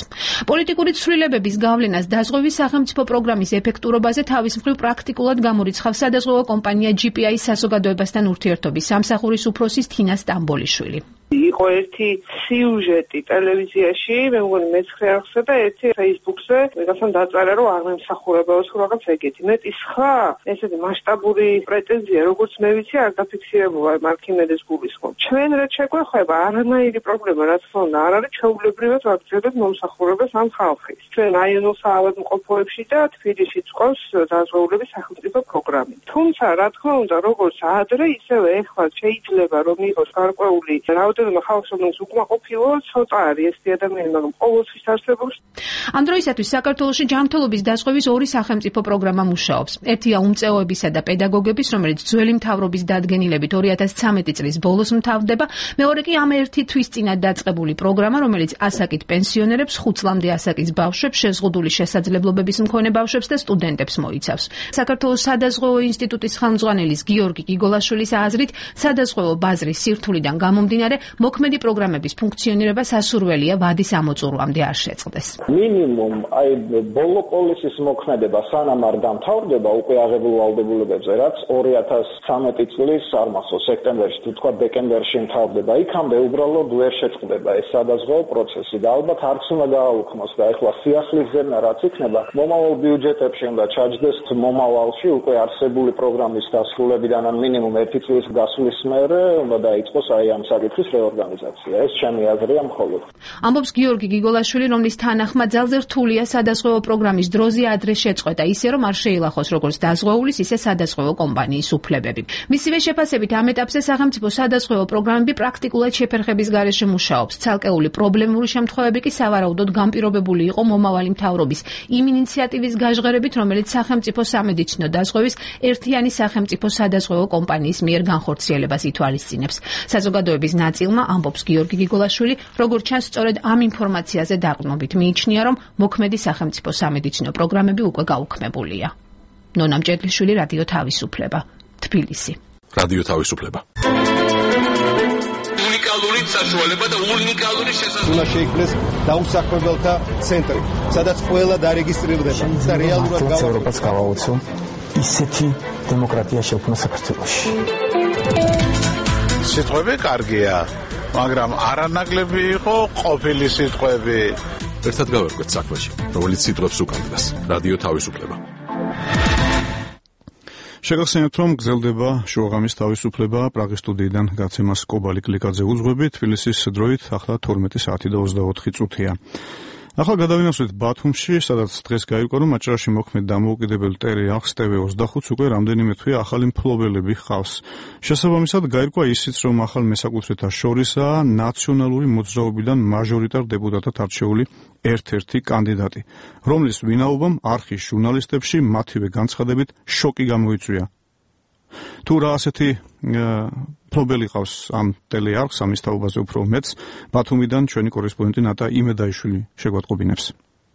პოლიტიკური ცვლილებების გავლენას დაზღვევის სახელმწიფო პროგრამის ეფექტურობაზე თავის მხრივ პრაქტიკულად გამორიცხავს სადაზღვევო კომპანია ჯი პი აის საზოგადოებასთან ურთიერთობის სამსახურის უფროსის თინა სტამბოლიშვილი. იყო ერთი სიუჟეტი ტელევიზიაში, მე მგონი მეცხრე არხზე და ერთი Facebook-ზე, ვიღაცამ დაწერა, რომ არ მემსახურებაოს რაღაც ეგეთი. მეტი სხვა, ესეთი მასშტაბური პრეტენზია, როგორც მე ვიცი, არ დაფიქსირებულა არქიმედეს გულისხმობ. ჩვენ რაც შეგვეხება, არანაირი პრობლემა, რაც თქმა უნდა, არ არის ჩვეულებრივად ვაგრძელებთ მომსახურებას ამ ხალხის. ჩვენ აიონულ საავადმყოფოებში და თბილისში წყვავს დაზღვეულების სახელმწიფო პროგრამი. თუმცა, რა თქმა უნდა, როგორც ადრე, ისევე ეხლა შეიძლება რომ იყოს გარკვეული რაოდენობა ხალხს, რომელიც უკმაყოფილო, ცოტა არის ეს ადამიანი, მაგრამ ყოველთვის არსებობს. ამ დროისათვის საქართველოში ჯანმრთელობის დაზღვევის ორი სახელმწიფო პროგრამა მუშაობს. ერთია უმწეოებისა და პედაგოგების, რომელიც ძველი მთავრობის დადგენილებით ორი ათას ცამეტი წლის ბოლოს მთავრდება, მეორე კი ამ ერთი თვის წინათ დაწყებული პროგრამა, რომელიც ასაკით პენსიონერებს, ხუთ წლამდე ასაკის ბავშვებს, შეზღუდული შესაძლებლობების მქონე ბავშვებს და სტუდენტებს მოიცავს. საქართველოს სადაზღვევო ინსტიტუტის ხელმძღვანელის გიორგი გიგოლაშვილის აზრით, სადაზღვევო ბაზრის სირთულიდან გამომდინარე, მოქმედი პროგრამების ფუნქციონირება სასურველია ვადის ამოწურვამდე არ შეწყდეს. მინიმუმ აი ბოლო პოლისის მოქმედება სანამ არ დამთავრდება უკვე აღებულ ვალდებულებებზე, რაც ორი ათას ცამეტი წლის არ მახსოვს სექტემბერში თუ თქვა დეკემბერში მთავრდება, იქამდე უბრალოდ ვერ შეწყდება ეს სადაზღვევო პროცესი და ალბათ არც უნდა გააუქმოს და ეხლა სიახლის ზერნა რაც იქნება, მომავალ ბიუჯეტებში უნდა ჩაჯდეს მომავალში უკვე არსებული პროგრამის დასრულებიდან ან მინიმუმ ერთი წლის გასვლის მერე უნდა დაიწყოს აი ამ საკითხის რეორგანიზაცია. ეს ჩემი აზრია მხოლოდ. ამბობს გიორგი გიგოლაშვილი, რომლის თანახმად ძალზე რთულია სადაზღვევო პროგრამის დროზე ადრე შეწყვეტა, ისე რომ არ შეილახოს როგორც დაზღვეულის, ისე სადაზღვევო კომპანიის უფლებები. მისივე შეფასებით ამ ეტაპზე სახელმწიფო სადაზღვევო პროგრამები პრაქტიკულად შეფერხების გარეშე მუშაობს. ცალკეული პრობლემური შემთხვევები კი სავარაუდოდ განპირობებული იყო მომავალი მთავრობის იმ ინიციატივის გაჟღერებით, რომელიც სახელმწიფო სამედიცინო დაზღვევის ერთიანი სახელმწიფო სადაზღვევო კომპანიის მიერ განხორციელებას ითვალისწინებს. საზოგადოების ნაწილმა, ამბობს გიორგი გიგოლაშვილი, როგორც ჩანს, სწორედ ამ ინფორმაციაზე დაყრდნობით მიიჩნია, რომ მოქმედი სახელმწიფო სამედიცინო პროგრამები უკვე გაუქმებულია. ნონა მჭედლიშვილი, რადიო თავისუფლება, თბილისი. რადიო თავისუფლება. უნიკალური საშუალება და უნიკალური შესაძლებლობა. უნდა შეიქმნეს დაუსაქმებელთა ცენტრი, სადაც ყველა დარეგისტრირდება და რეალურად ევროპას გავაოცო ისეთი დემოკრატია შექმნა საქართველოში. სიტყვები კარგია, მაგრამ არანაკლები იყო ყოფილი სიტყვები. ერთად გავერკვეთ საქმეში, რომელიც სიტყვებს უკანდრას. რადიო თავისუფლება. შეგახსენებთ, რომ გრძელდება შუაღამის თავისუფლება, პრაღის სტუდიიდან გაცემას კობალი კლიკაძე უძღვები, თბილისის დროით ახლა თორმეტი საათი და ოცდაოთხი წუთია. ახლა გადავინახოთ ბათუმში, სადაც დღეს გაირკვა, რომ აჭარაში მოქმედ დამოუკიდებელ ტერი ახს ტევ ოცდახუთს უკვე რამდენიმე თვე ახალი მფლობელები ჰყავს. შესაბამისად გაირკვა ისიც, რომ ახალ მესაკუთრეთა შორისაა ნაციონალური მოძრაობიდან მაჟორიტარ დეპუტატად არჩეული ერთ-ერთი კანდიდატი, რომლის ვინაობამ არხის ჟურნალისტებში მათივე განცხადებით შოკი გამოიწვია. თუ რა ასეთი მფლობელი ყავს ამ ტელეარხს, ამის თაობაზე უფრო მეც, ბათუმიდან ჩვენი კორესპონდენტი ნატა იმედაიშვილი შეგვატყობინებს.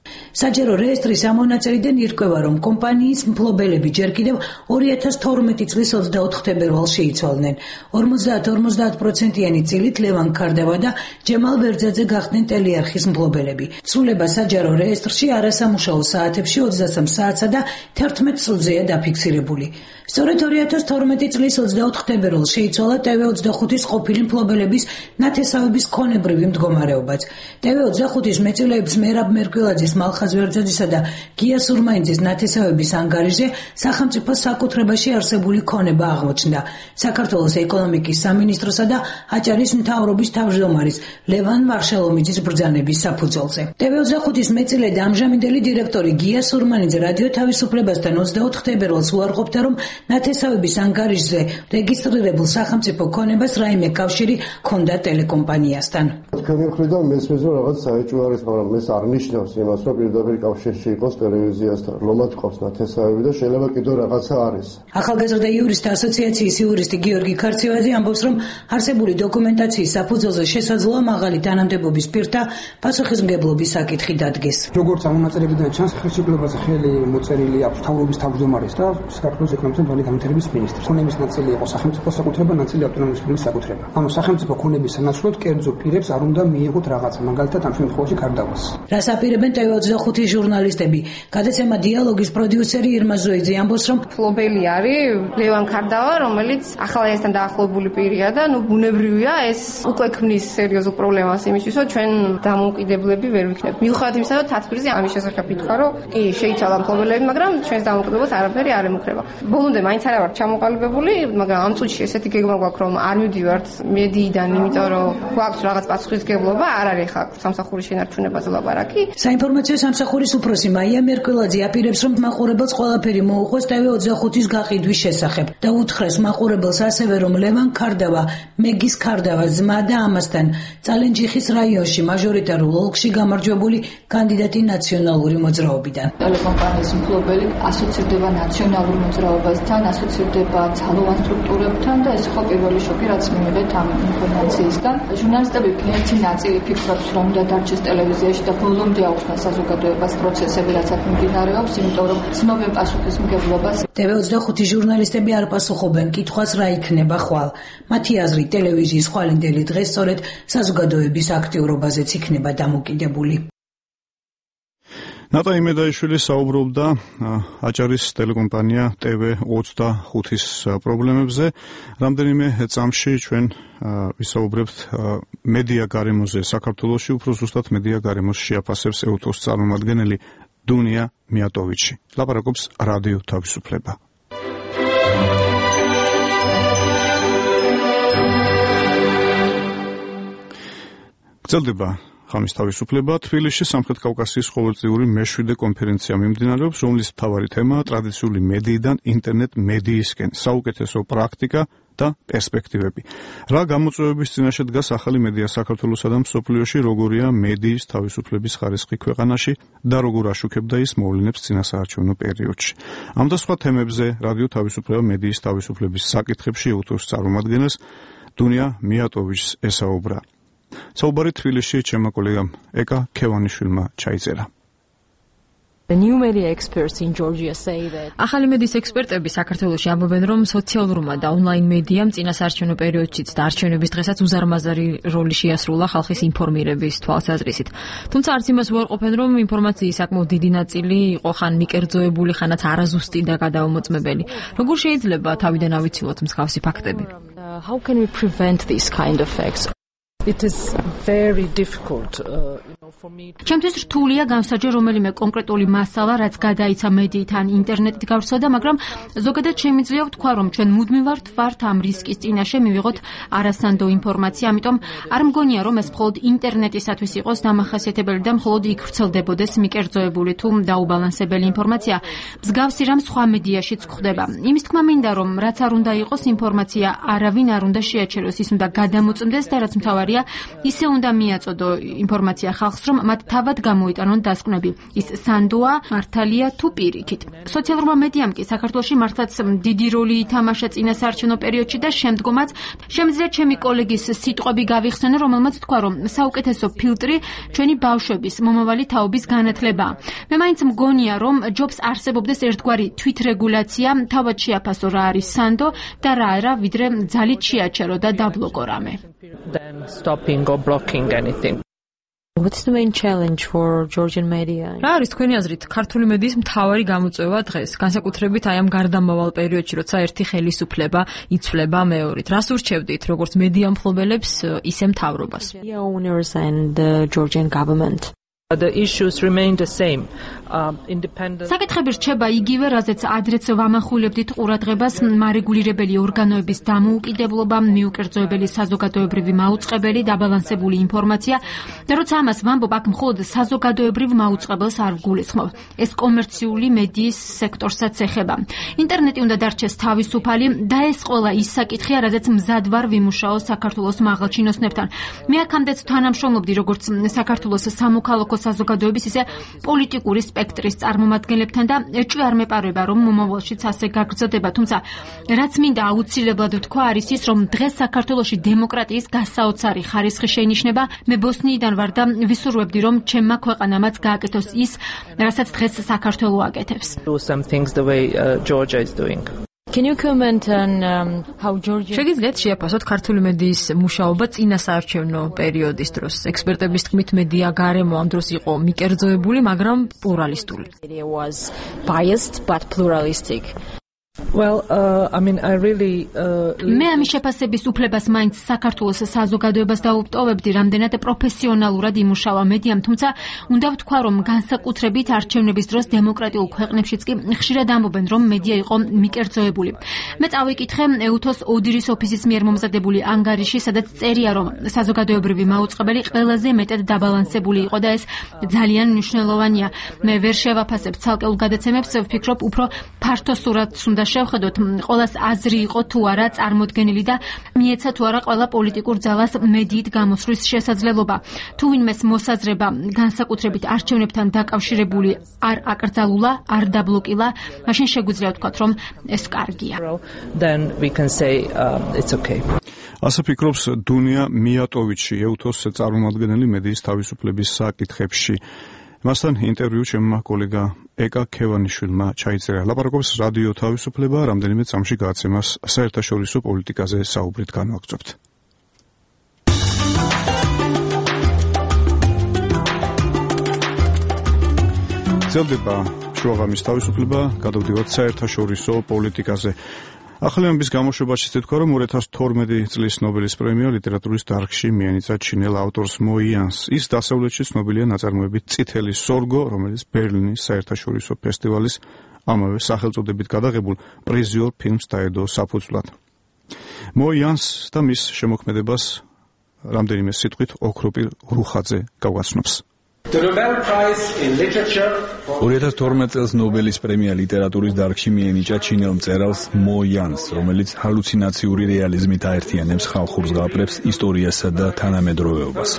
საჯარო რეესტრის ამონაწერიდან ირკვევა, რომ კომპანიის მფლობელები ჯერ კიდევ ორი ათას თორმეტი წლის ოცდაოთხ თებერვალს შეიცვალნენ. ორმოცდაათ ორმოცდაათ პროცენტიანი წილით ლევან ქარდავა და ჯემალ ბერძაძე გახდნენ ტელეარხის მფლობელები. ცვლილება საჯარო რეესტრში არასამუშაო საათებში ოცდასამ საათსა და თერთმეტ წლზეა დაფიქსირებული. სწორედ ორი ათას თორმეტი წლის ოცდაოთხ თებერვალს შეიცვალა ტევ ოცდახუთის ყოფილი მფლობელების ნათესავების ქონებრივი მდგომარეობაც. ტევ ოცდახუთის მეწვეულებს მერაბ მერკველაძის, მალხაზ ვერძაძისა და გია სურმაინძის ნათესავების ანგარიშზე სახელმწიფოს საკუთრებაში არსებული ქონება აღმოჩნდა. საქართველოს ეკონომიკის სამინისტროსა და აჭარის მთავრობის თავმჯდომარის ლევან მარშალომიძის ბრძანების საფუძველზე. ტევ ოცდახუთის მეწილე და ამჟამინდელი დირექტორი გია სურმაინძე რადიო თავისუფლებასთან ოცდაოთხ თებერვალს უარყოფდა, რომ ნათესავების ანგარიშზე რეგისტრირებულ სახელმწიფო ქონებას რაიმე კავშირი ჰქონდა ტელეკომპანიასთან. თქვენი მხრიდან მესმის რომ რაღაც საეჭვო არის, მაგრამ ეს არ ნიშნავს იმას, რომ პირდაპირ კავშირში იყოს ტელევიზიასთან. ლომად ყავს ნათესავები და შეიძლება კიდევ რაღაცა არის. ახალგაზრდა იურისტთა ასოციაციის იურისტი გიორგი ქარცევაძე ამბობს, რომ არსებული დოკუმენტაციის საფუძველზე შესაძლოა მაღალი თანამდებობის პირთა პასუხისმგებლობის საკითხი დადგეს. როგორც ამონაწერებიდან ჩანს, ხელშეკრულებაზე ხელი მოწერილი აქვს მთავრობის თავმჯდომარის და საქართველოს ეკონომიკის და განვითარების მინისტრს. ქონების ნაწილი იყო სახელმწიფო საკუთრება, ნაწილი ავტონომიური რესპუბლიკის საკუთრება. ანუ სახელმწიფო ქონების სანაცვლოდ კერძო პირებს არ უნდა მიიღოთ რაღაცა, მაგალითად ამ შემთხვევაში ქარდავას. რას აპირებენ ტევ ოცდახუთის ჟურნალისტები? გადაცემა დიალოგის პროდიუსერი ირმა ზოიძე ამბობს, რომ მფლობელი არის ლევან ქარდავა, რომელიც ახალგაზრდასთან დაახლოებული პირია და ნუ ბუნებრივია ეს უკვე ქმნის სერიოზულ პრობლემას იმისთვის, რომ ჩვენ დამოუკიდებლები ვერ ვიქნებით. მიუხედავად იმისა, რომ თათბირზე ამის შესახებ ითქვა, რომ კი შეიცვალა მფლობელები, მაგრამ ჩვენს დამოუკიდებლობას არაფერი არ ემუქრება. ბოლომდე მაინც არ ვარ ჩამოყალიბებული, მაგრამ ამ წუთში ესეთი გეგმა გვაქვს, რომ არ მივდივართ მედიიდან, იმიტომ რომ გვაქვს რაღაც პასუხისმგებლობა, არ არის ხა სამსახურის შენარჩუნებაზე ლაპარაკი. საინფორმაციო სამსახურის უფროსი მაია მერკველაძე აპირებს, რომ მაყურებელს ყველაფერი მოუყვეს ტევ ოცდახუთის გაყიდვის შესახებ და უთხრეს მაყურებელს ასევე, რომ ლევან ქარდავა, მეგის ქარდავას ძმა და ამასთან წალენჯიხის რაიონში მაჟორიტარულ ოლქში გამარჯვებული კანდიდატი ნაციონალური მოძრაობიდან. ტელეკომპანიის მფლობელი ასოცირდება ნაციონალურ მოძრაობასთან, ასოცირდება ძალოვან სტრუქტურებთან და ეს ხო პირველი შოკი, რაც მივიღეთ ამ ინფორმაციისგან. ჟურნალისტები ერთი ნაწილი ფიქრობს, რომ უნდა დარჩეს ტელევიზიაში და ბოლომდე აუხსნა საზოგადოებას პროცესები, რაც აქ მიმდინარეობს, იმიტომ რომ ცნობენ პასუხისმგებლობას. ტევ ოცდახუთის ჟურნალისტები არ პასუხობენ კითხვას, რა იქნება ხვალ. მათი აზრით, ტელევიზიის ხვალინდელი დღე სწორედ საზოგადოების აქტიურობაზეც იქნება დამოკიდებული. ნატა იმედაიშვილი საუბრობდა აჭარის ტელეკომპანია ტევ ოცდახუთის პრობლემებზე. რამდენიმე წამში ჩვენ ვისაუბრებთ მედია გარემოზე საქართველოში, უფრო ზუსტად მედია გარემოს შეაფასებს ეუთოს წარმომადგენელი დუნია მიატოვიჩი. ლაპარაკობს რადიო თავისუფლება. გრძელდება ხამის თავისუფლება. თბილისში სამხრეთ კავკასიის ყოველწლიური მეშვიდე კონფერენცია მიმდინარეობს, რომლის მთავარი თემაა ტრადიციული მედიიდან ინტერნეტ მედიისკენ, საუკეთესო პრაქტიკა და პერსპექტივები. რა გამოწვევების წინაშე დგას ახალი მედია საქართველოსა და მსოფლიოში, როგორია მედიის თავისუფლების ხარისხი ქვეყანაში და როგორ აშუქებდა ის მოვლენებს წინასაარჩევნო პერიოდში. ამ და სხვა თემებზე რადიო თავისუფლება მედიის თავისუფლების საკითხებში ეუთოს წარმომადგენელს დუნია მიატოვიჩს ესაუბრა. საუბარი თბილისში ჩემმა კოლეგამ ეკა ქევანიშვილმა ჩაიწერა. ახალი მედიის ექსპერტები საქართველოში ამბობენ, რომ სოციალურმა და ონლაინ მედიამ წინასაარჩევნო პერიოდშიც და არჩევნების დღესაც უზარმაზარი როლი შეასრულა ხალხის ინფორმირების თვალსაზრისით. თუმცა არც იმას უარყოფენ, რომ ინფორმაციის საკმაოდ დიდი ნაწილი იყო ხან მიკერძოებული, ხანაც არაზუსტი და გადაუმოწმებელი. როგორ შეიძლება თავიდან ავიცილოთ მსგავსი ფაქტები? How can we prevent these kind of facts? It is very difficult uh, you know for me. ჩემთვის რთულია განსაჯო რომელიმე კონკრეტული მასალა, რაც გადაიცა მედიით ან ინტერნეტით გავრცელდა, მაგრამ ზოგადად შემიძლია ვთქვა, რომ ჩვენ მუდმივად ვართ ამ რისკის წინაშე მივიღოთ არასანდო ინფორმაცია, ამიტომ არ მგონია, რომ ეს მხოლოდ ინტერნეტისათვის იყოს დამახასიათებელი და მხოლოდ იქ ვრცელდებოდეს მიკერძოებული თუ დაუბალანსებელი ინფორმაცია. მსგავსი რამ სხვა მედიაშიც გვხდება. იმის თქმა მინდა, რომ რაც არ უნდა იყოს ინფორმაცია, არავინ არ უნდა შეაჩეროს, ის უნდა გადამოწმდეს და რაც მთავარია, ისე უნდა მიაწოდო ინფორმაცია ხალხს, რომ მათ თავად გამოიტანონ დასკვნები. ის სანდოა, მართალია თუ პირიქით. სოციალურმა მედიამ კი საქართველოში მართლაც დიდი როლი ითამაშა წინასაარჩევნო პერიოდში და შემდგომაც შემიძლია ჩემი კოლეგის სიტყვები გავიხსენო, რომელმაც თქვა, რომ საუკეთესო ფილტრი ჩვენი ბავშვების მომავალი თაობის განათლებაა. მე მაინც მგონია, რომ ჯობს არსებობდეს ერთგვარი თვითრეგულაცია, თავად შეაფასო რა არის სანდო და რა არა, ვიდრე ძალით შეაჩერო და დაბლოკო რამე. Than stopping or blocking anything. What's the main challenge for Georgian media? რა არის თქვენი აზრით ქართული მედიის მთავარი გამოწვევა დღეს, განსაკუთრებით აი ამ გარდამავალ პერიოდში, როცა ერთი ხელისუფლება იცვლება მეორით? რას ურჩევდით როგორც მედია მფლობელებს, ისე მთავრობას? Media owners and the Georgian government. The issues remain the same. Um, independent საკითხები რჩება იგივე, რაზეც ადრეც ვამახვილებდით ყურადღებას, მარეგულირებელი ორგანოების დამოუკიდებლობა, მიუკერძოებელი საზოგადოებრივი მაუწყებელი, დაბალანსებული ინფორმაცია და როცა ამას ვამბობ, აქ მხოლოდ საზოგადოებრივ მაუწყებელს არ ვგულისხმობ. ეს კომერციული მედიის სექტორსაც ეხება. ინტერნეტი უნდა დარჩეს თავისუფალი და ეს ყველა ის საკითხია, რაზეც მზად ვარ ვიმუშაო საქართველოს მაღალჩინოსნებთან. მე აქამდეც თანამშრომლობდი როგორც საქართველოს სამოქალაქო საზოგადოების, ისე პოლიტიკური სპექტრის წარმომადგენლებთან და ეჭვი არ მეპარება, რომ მომავალშიც ასე გაგრძელდება, თუმცა რაც მინდა აუცილებლად ვთქვა არის ის, რომ დღეს საქართველოში დემოკრატიის გასაოცარი ხარისხი შეინიშნება. მე ბოსნიიდან ვარ და ვისურვებდი, რომ ჩემმა ქვეყანამაც გააკეთოს ის, რასაც დღეს საქართველო აკეთებს. Do some things the way uh, Georgia is doing. Can you comment on um, how Georgia შეგიძლიათ შეაფასოთ ქართული მედიის მუშაობა წინასაარჩევნო პერიოდის დროს? ექსპერტების თქმით, მედია გარემო ამ დროს იყო მიკერძოებული, მაგრამ პლურალისტული. Media was biased but pluralistic. Well, uh, I mean, I really uh, მე ამის შეფასების უფლებას მაინც საქართველოს საზოგადოებას დაუპტოვებდი, რამდენად პროფესიონალურად იმუშავა მედიამ, თუმცა უნდა ვთქვა, რომ განსაკუთრებით არჩევნების დროს დემოკრატიულ ქვეყნებშიც კი ხშირად ამბობენ, რომ მედია იყო მიკერძოებული. მე წავიკითხე ეუთოს ოდირის ოფისის მიერ მომზადებული ანგარიში, სადაც წერია, რომ საზოგადოებრივი მაუწყებელი ყველაზე მეტად დაბალანსებული იყო და ეს ძალიან მნიშვნელოვანია. მე ვერ შევაფასებ ცალკეულ გადაცემებს, ვფიქრობ, უფრო ფართო სურათს უნდა შევხედოთ, ყოველას აზრი იყო თუ არა წარმოდგენილი და მიეცა თუ არა ყველა პოლიტიკურ ძალას მედიით გამოსვლის შესაძლებლობა. თუ ვინმეს მოსაზრება განსაკუთრებით არჩევნებთან დაკავშირებული არ აკრძალულა, არ დაბლოკილა, მაშინ შეგვიძლია ვთქვათ, რომ ეს კარგია. Then we can say uh, it's okay. ასე ფიქრობს დუნია მიატოვიჩი, ეუთოს წარმომადგენელი მედიის თავისუფლების საკითხებში. მასთან ინტერვიუ ჩემმა კოლეგა ეკა ქევანიშვილმა ჩაიწერა. ლაპარაკობს რადიო თავისუფლება, რამდენიმე წამში გააცემას საერთაშორისო პოლიტიკაზე საუბრით განვაგრძობთ. ძლდება შუაღამის თავისუფლება, გადავდივართ საერთაშორისო პოლიტიკაზე. ახალების გამოშვებაში თქვა, რომ ორი ათას თორმეტი წლის ნობელის პრემია ლიტერატურის დარგში მიენიჭა ჩინელ ავტორს мо იანს. ის დასავლეთში ცნობილია ნაწარმოებით წითელი სორგო, რომელიც ბერლინის საერთაშორისო ფესტივალის ამავე სახელწოდებით გადაღებულ პრიზიორ ფილმს დაედო საფუძვლად. мо იანს და მის შემოქმედებას რამდენიმე სიტყვით ოქროპირ რუხაძე გავაცნობს. ორი ათას თორმეტ წელს ნობელის პრემია ლიტერატურის დარგში მიენიჭა ჩინელ მწერალს мо იანს, რომელიც ჰალუცინაციური რეალიზმით აერთიანებს ხალხურ ზღაპრებს, ისტორიასა და თანამედროვეობას.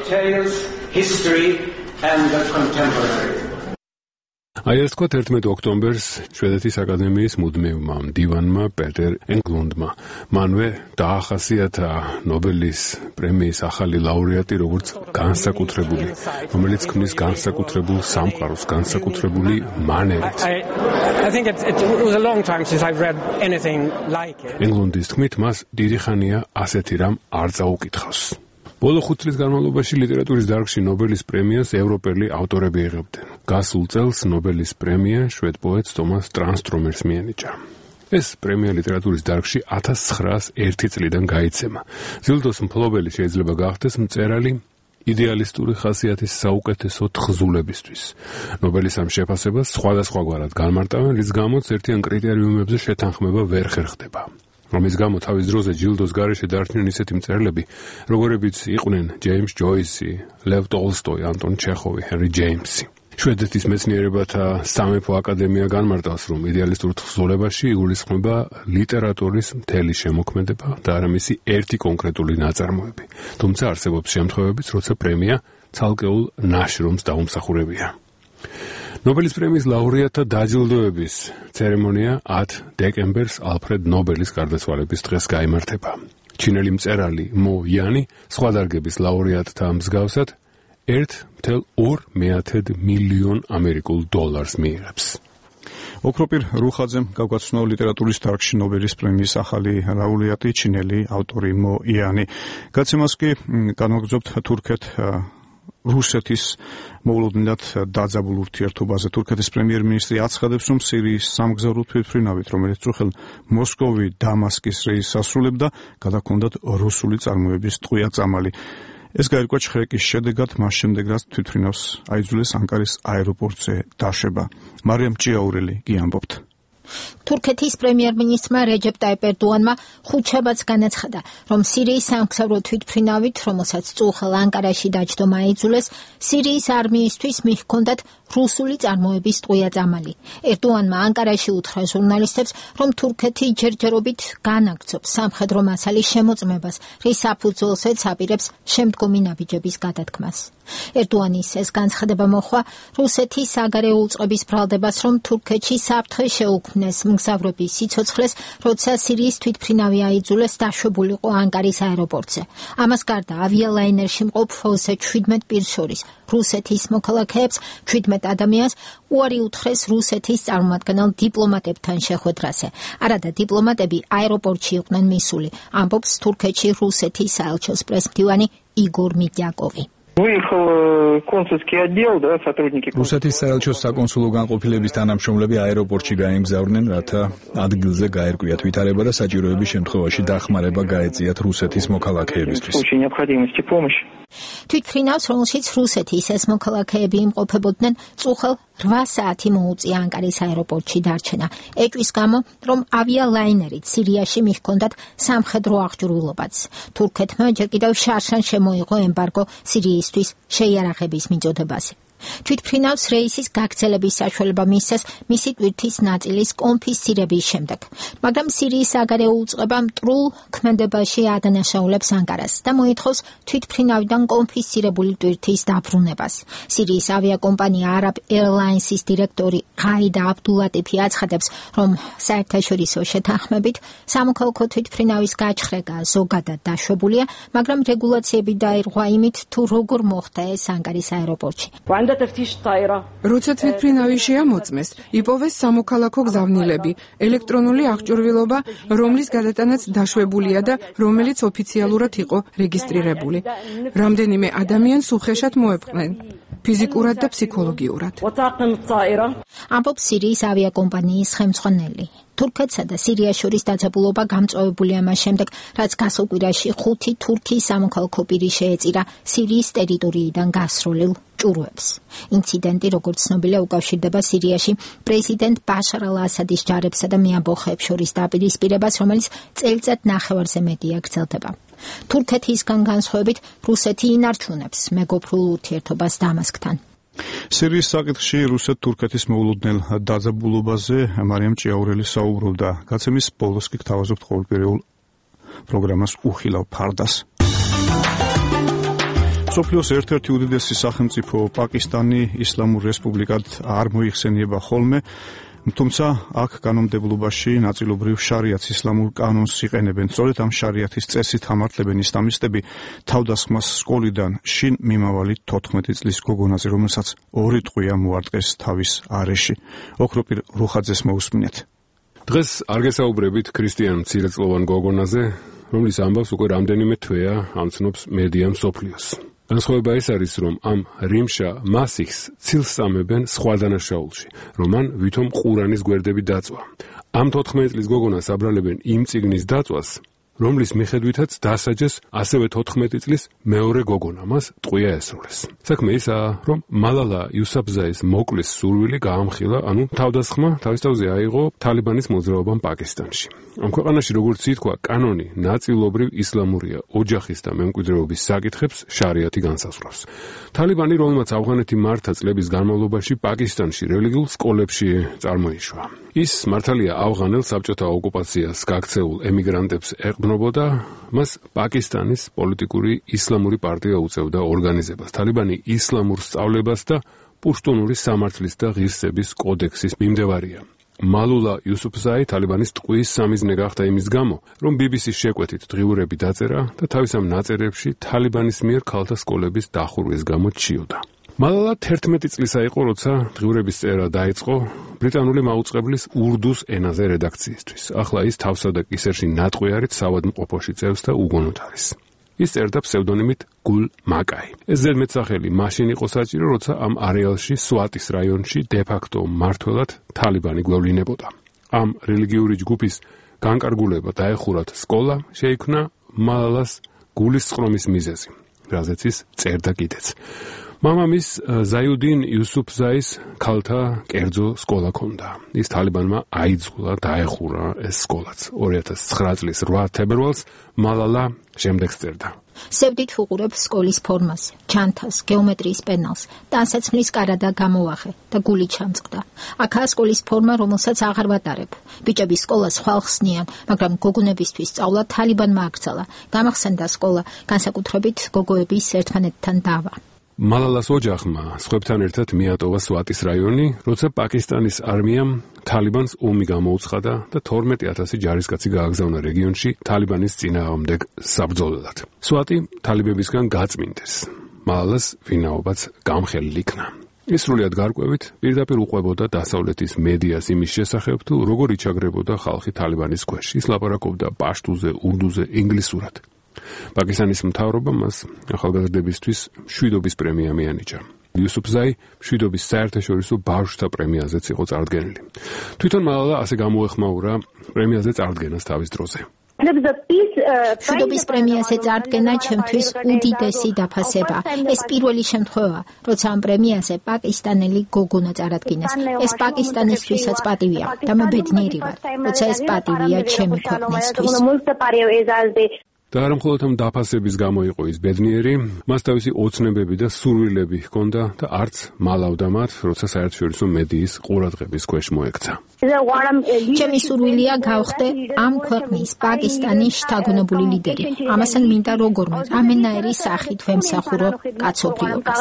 აი ეს თქვა ერთმეტი ოქტომბერს შვედეთის აკადემიის მუდმივმა მდივანმა პეტერ ენგლუნდმა მანვე დაახასიათა ნობელის პრემიის ახალი ლაურეატი როგორც განსაკუთრებული, რომელიც ქმნის განსაკუთრებულ სამყაროს, განსაკუთრებული მანერით. I think it, it was a long time since I've read anything like it. ენგლუნდის თქმით, მას დიდი ხანია ასეთი რამ არ წაუკითხავს. ბოლო ხუთ წლის განმავლობაში ლიტერატურის დარგში ნობელის პრემიას ევროპელი ავტორები იღებდნენ. გასულ წელს ნობელის პრემია შვედ პოეტს თომას ტრანსტრომერს მიენიჭა. ეს პრემია ლიტერატურის დარგში ათას ცხრაას ერთი წლიდან გაიცემა. ჯილდოს მფლობელი შეიძლება გახდეს მწერალი იდეალისტური ხასიათის საუკეთესო თხზულებისთვის. ნობელის ამ შეფასებას სხვადასხვაგვარად განმარტავენ, რის გამოც ერთიან კრიტერიუმებზე შეთანხმება ვერ ხერხდება. რომის გამო თავის დროზე ჯილდოს გარეშე დარჩნენ ისეთი მწერლები, როგორებიც იყვნენ ჯეიმს ჯოისი, ლევ ტოლსტოი, ანტონ ჩეხოვი, ჰენრი ჯეიმსი. შვედეთის მეცნიერებათა სამეფო აკადემია განმარტავს, რომ იდეალისტურ თხზულებაში იგულისხმება ლიტერატურის მთელი შემოქმედება და არა მისი ერთი კონკრეტული ნაწარმოები. თუმცა არსებობს შემთხვევებიც, როცა პრემია ცალკეულ ნაშრომს დაუმსახურებია. ნობელის პრემიის ლაურეატთა დაჯილდოების ცერემონია ათი დეკემბერს ალფრედ ნობელის გარდაცვალების დღეს გაიმართება. ჩინელი მწერალი მო იანი სხვა დარგების ლაურეატთა მსგავსად ერთ მთელ ორ მეათედ მილიონ ამერიკულ დოლარს მიიღებს. ოქროპირ რუხაძემ გავგაცნო ლიტერატურის დარგში ნობელის პრემიის ახალი ლაურეატი ჩინელი ავტორი მო იანი. გაცემას კი განვაგრძობთ თურქეთ რუსეთის მოულოდნელად დაძაბულ ურთიერთობაზე. თურქეთის პრემიერ-მინისტრი აცხადებს, რომ სირიის სამგზავრო თვითმფრინავით, რომელიც წუხელ მოსკოვი დამასკის რეისს ასრულებდა, გადაჰქონდათ რუსული წარმოების ტყვია წამალი. ეს გაირკვა ჩხრეკის შედეგად, მას შემდეგ რაც თვითმფრინავს აიძულეს ანკარის აეროპორტზე დაშვება. მარიამ ჭიაურელი კი ამბობთ. თურქეთის პრემიერ-მინისტრმა რეჯეპ ტაიპ ერდოანმა ხუთშაბათს განაცხადა, რომ სირიის სამგზავრო თვითმფრინავით, რომელსაც წუხელ ანკარაში დაჯდომა აიძულეს, სირიის არმიისთვის მიჰქონდათ რუსული წარმოების ტყვია წამალი. ერდოანმა ანკარაში უთხრა ჟურნალისტებს, რომ თურქეთი ჯერჯერობით განაგრძობს სამხედრო მასალის შემოწმებას, რის საფუძველზეც აპირებს შემდგომი ნაბიჯების გადადგმას. ერდოანის ეს განცხადება მოჰყვა რუსეთის საგარეო უწყების ბრალდებას, რომ თურქეთში საფრთხე შეუქმნეს მგზავრების სიცოცხლეს, როცა სირიის თვითმფრინავი აიძულეს დაშვებულიყო ანკარის აეროპორტზე. ამას გარდა ავიალაინერში მყოფ ოცდაშვიდ პირს შორის რუსეთის მოქალაქეებს შვიდმეტ ადამიანს უარი უთხრეს რუსეთის წარმომადგენელ დიპლომატებთან შეხვედრაზე. არადა დიპლომატები აეროპორტში იყვნენ მისული, ამბობს თურქეთში რუსეთის საელჩოს პრესმდივანი იგორ მიდიაკოვი. Выехал консульский отдел, да, сотрудники. რუსეთის საელჩოს საკონსულო განყოფილების თანამშრომლები აეროპორტში გაემგზავრნენ, რათა ადგილზე გაერკვიათ ვითარება და საჭიროების შემთხვევაში დახმარება გაეწიათ რუსეთის მოქალაქეებისთვის. В случае необходимости помощи. თვითმფრინავს, რომელშიც რუსეთის ეს მოქალაქეები იმყოფებოდნენ, წუხელ რვა საათი მოუწია ანკარის აეროპორტში დარჩენა. ეჭვის გამო, რომ ავიალაინერით სირიაში მიჰქონდათ სამხედრო აღჭურვილობაც. თურქეთმა ჯერ კიდევ შარშან შემოიღო ემბარგო სირიისთვის შეიარაღების მიწოდებაზე. თვითმფრინავს რეისის გაგრძელების საშუალება მისცეს მისი ტვირთის ნაწილის კონფისცირების შემდეგ, მაგრამ სირიის საგარეო უწყება მტრულ ქმედებაში ადანაშაულებს ანკარას და მოითხოვს თვითმფრინავიდან კონფისცირებული ტვირთის დაბრუნებას. სირიის ავიაკომპანია Arab Airlines-ის დირექტორი ყაიდა აბდულატიფი აცხადებს, რომ საერთაშორისო შეთანხმებით სამოქალაქო თვითმფრინავის გაჩხრება ზოგადად დაშვებულია, მაგრამ რეგულაციები დაირღვა იმით, თუ როგორ მოხდა ეს ანკარის აეროპორტში. როცა თვითმფრინავი შეამოწმეს, იპოვეს სამოქალაქო გზავნილები, ელექტრონული აღჭურვილობა, რომლის გადატანაც დაშვებულია და რომელიც ოფიციალურად იყო რეგისტრირებული. რამდენიმე ადამიანს უხეშად მოეპყნენ, ფიზიკურად და ფსიქოლოგიურად. ამბობს სირიის ავიაკომპანიის ხელმძღვანელი. თურქეთსა და სირიას შორის დაძაბულობა გამწვავებულია მას შემდეგ, რაც გასულ კვირაში ხუთი თურქი სამოქალაქო პირი შეეწირა სირიის ტერიტორიიდან გასროლილ ჭურვებს. ინციდენტი, როგორც ცნობილია, უკავშირდება სირიაში პრეზიდენტ ბაშარ ალ-ასადის ჯარებსა და მეამბოხეებს შორის დაპირისპირებას, რომელიც წელიწად ნახევარზე მეტია გრძელდება. თურქეთისგან განსხვავებით, რუსეთი ინარჩუნებს მეგობრულ ურთიერთობას დამასკთან. სირიის საკითხში რუსეთ-თურქეთის მოულოდნელ დაძაბულობაზე მარიამ ჭიაურელი საუბრობდა. გაცემის ბოლოს კი გთავაზობთ ყოველკვირეულ პროგრამას უხილავ ფარდას. მსოფლიოს ერთ-ერთი უდიდესი სახელმწიფო პაკისტანი ისლამურ რესპუბლიკად არ მოიხსენიება ხოლმე, თუმცა აქ კანონმდებლობაში ნაწილობრივ შარიათს ისლამურ კანონს იყენებენ. სწორედ ამ შარიათის წესით ამართლებენ ისლამისტები თავდასხმას სკოლიდან შინ მიმავალი თოთხმეტი წლის გოგონაზე, რომელსაც ორი ტყვია მოარტყეს თავის არეში. ოქროპირ რუხაძეს მოусმინეთ. დღეს არ გესაუბრებით ქრისტიან მცირეწლოვან გოგონაზე, რომლის ამბავს უკვე რამდენიმე თვეა ამცნობს მედია მსოფლიოს. განსხვავება ის არის, რომ ამ რიმშა მასიხს ცილს წამებენ სხვა დანაშაულში, რომ მან ვითომ ყურანის გვერდები დაწვა. ამ თოთხმეტი წლის გოგონას აბრალებენ იმ წიგნის დაწვას, რომლის მიხედვითაც დასაჯეს ასევე თოთხმეტი წლის მეორე გოგონა, მას ტყვია ესროლეს. საქმე ისაა, რომ მალალა იუსაფზაის მოკლის სურვილი გაამხილა, ანუ თავდასხმა თავის თავზე აიღო თალიბანის მოძრაობამ პაკისტანში. ამ ქვეყანაში, როგორც ითქვა, კანონი ნაწილობრივ ისლამურია, ოჯახის და მემკვიდრეობის საკითხებს შარიათი განსაზღვრავს. თალიბანი, რომელმაც ავღანეთი მართა წლების განმავლობაში პაკისტანში რელიგიურ სკოლებში წარმოიშვა. ის მართალია ავღანელ საბჭოთა ოკუპაციას გაქცეულ ემიგრანტებს ეყრდნობოდა, მას პაკისტანის პოლიტიკური ისლამური პარტია უწევდა ორგანიზებას. თალიბანი ისლამურ სწავლებას და პუშტუნური სამართლის და ღირსების კოდექსის მიმდევარია. მალულა იუსუფზაი თალიბანის ტყუის სამიზნე გახდა იმის გამო, რომ ბი ბი სის შეკვეთით დღიურები დაწერა და თავის ამ ნაწერებში თალიბანის მიერ ქალთა სკოლების დახურვის გამო ჩიოდა. მალალა თერთმეტი წლისა იყო, როცა დღიურების წერა დაიწყო ბრიტანული მაუწყებლის ურდუს ენაზე რედაქციისთვის. ახლა ის თავსა და კისერში ნატყვიარით საავადმყოფოში წევს და უგონოდ არის. ის წერდა ფსევდონიმით გულ მაკაი. ეს ზედმეტსახელი მაშინ იყო საჭირო, როცა ამ არეალში სვატის რაიონში დე-ფაქტო მმართველად თალიბანი გვევლინებოდა. ამ რელიგიური ჯგუფის განკარგულება დაეხურათ სკოლა შეიქმნა მალალას გულის წყრომის მიზეზი, რაზეც ის წერდა კიდეც. მამამის ზაიუდინ იუსუფზაის ქალთა კერძო სკოლა ჰქონდა. ის თალიბანმა აიძულა დაეხურა ეს სკოლაც. ორი ათას ცხრა წლის რვა თებერვალს მალალა შემდეგს წერდა. სევდით ვუყურებ სკოლის ფორმას, ჩანთას, გეომეტრიის პენალს, ტანსაცმლის კარადა გამოვახე და გული ჩამწყდა. აქაა სკოლის ფორმა, რომელსაც აღარ ვატარებ. ბიჭების სკოლას ხვალხსნიან, მაგრამ გოგონებისთვის სწავლა თალიბანმა აკრძალა. გამახსენდა სკოლა, განსაკუთრებით გოგოების ერთმანეთთან დავა. მალალას ოჯახმა სხვებთან ერთად მიატოვა სვატის რაიონი, როცა პაკისტანის არმიამ თალიბანს ომი გამოუცხადა და თორმეტი ათასი ჯარისკაცი გააგზავნა რეგიონში თალიბანის წინააღმდეგ საბრძოლველად. სვატი თალიბებისგან გაწმინდეს. მალალას ვინაობაც გამხელილი იქნა. ის სრულიად გარკვევით პირდაპირ უყვებოდა დასავლეთის მედიას იმის შესახებ, თუ როგორ იჩაგრებოდა ხალხი თალიბანის ქვეშ. ის ლაპარაკობდა პაშტუზე, ურდუზე, ინგლისურად. პაკისტანის მთავრობა მას ახალგაზრდებისთვის მშვიდობის პრემია მიანიჭა. იუსუფზაი მშვიდობის საერთაშორისო ბავშვთა პრემიაზეც იყო წარდგენილი. თვითონ მალალა ასე გამოეხმაურა პრემიაზე წარდგენას თავის დროზე. მშვიდობის პრემიაზე წარდგენა ჩემთვის უდიდესი დაფასება. ეს პირველი შემთხვევა, როცა ამ პრემიაზე პაკისტანელი გოგონა წარადგინეს. ეს პაკისტანისთვისაც პატივია და მე ბედნიერი ვარ, როცა ეს პატივია ჩემი ქვეყნისთვის. და არა მხოლოდ ამ დაფასების გამო იყო ის ბედნიერი, მას თავისი ოცნებები და სურვილები ჰქონდა და არც მალავდა მათ, როცა საერთაშორისო მედიის ყურადღების ქვეშ მოექცა. ჩემი სურვილია გავხდე ამ ქვეყნის პაკისტანის შთაგონებული ლიდერი. ამასთან მინდა როგორმე რამენაირი სახით ვემსახურო კაცობრიობას.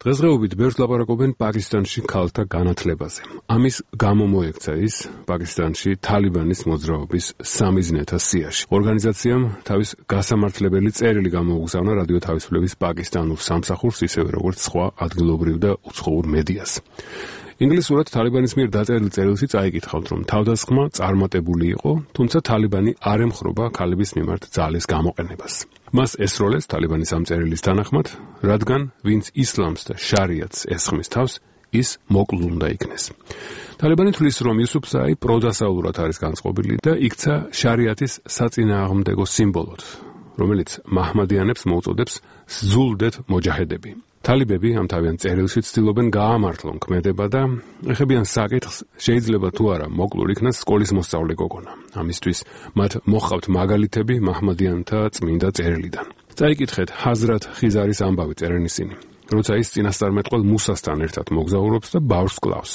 დღესდღეობით ბევრს ლაპარაკობენ პაკისტანში ქალთა განათლებაზე. ამის გამო მოექცა ის პაკისტანში თალიბანის მოძრაობის სამიზნეთა სიაში. ორგანიზაციამ თავის გასამართლებელი წერილი გამოუგზავნა რადიო თავისუფლების პაკისტანურ სამსახურს, ისევე როგორც სხვა ადგილობრივ და უცხოურ მედიას. ინგლისურად თალიბანის მიერ დაწერილ წერილში წაიკითხავთ, რომ თავდასხმა წარმატებული იყო, თუმცა თალიბანი არ ემხრობა ქალების მიმართ ძალის გამოყენებას. მას ესროლეს თალიბანის ამ წერილის თანახმად, რადგან ვინც ისლამს და შარიატს ესხმის თავს, ის მოკლულ უნდა იქნეს. თალიბანი თვლის, რომ იუსუფზაი პროდასავლურად არის განწყობილი და იქცა შარიატის საწინააღმდეგო სიმბოლოდ, რომელიც მაჰმადიანებს მოუწოდებს ზულდეთ მოჯაჰედები. თალიბები ამ თავიანთ წერილში ცდილობენ გაამართლონ ქმედება და ეხებიან საკითხს, შეიძლება თუ არა მოკლულ იქნას სკოლის მოსწავლე გოგონა. ამისთვის მათ მოჰყავთ მაგალითები მაჰმადიანთა წმინდა წერილიდან. წაიკითხეთ ჰაზრათ ხიზარის ამბავი წერენ ისინი. როცა ის წინასწარმეტყველ მუსასთან ერთად მოგზაურობს და ბავშვს კლავს.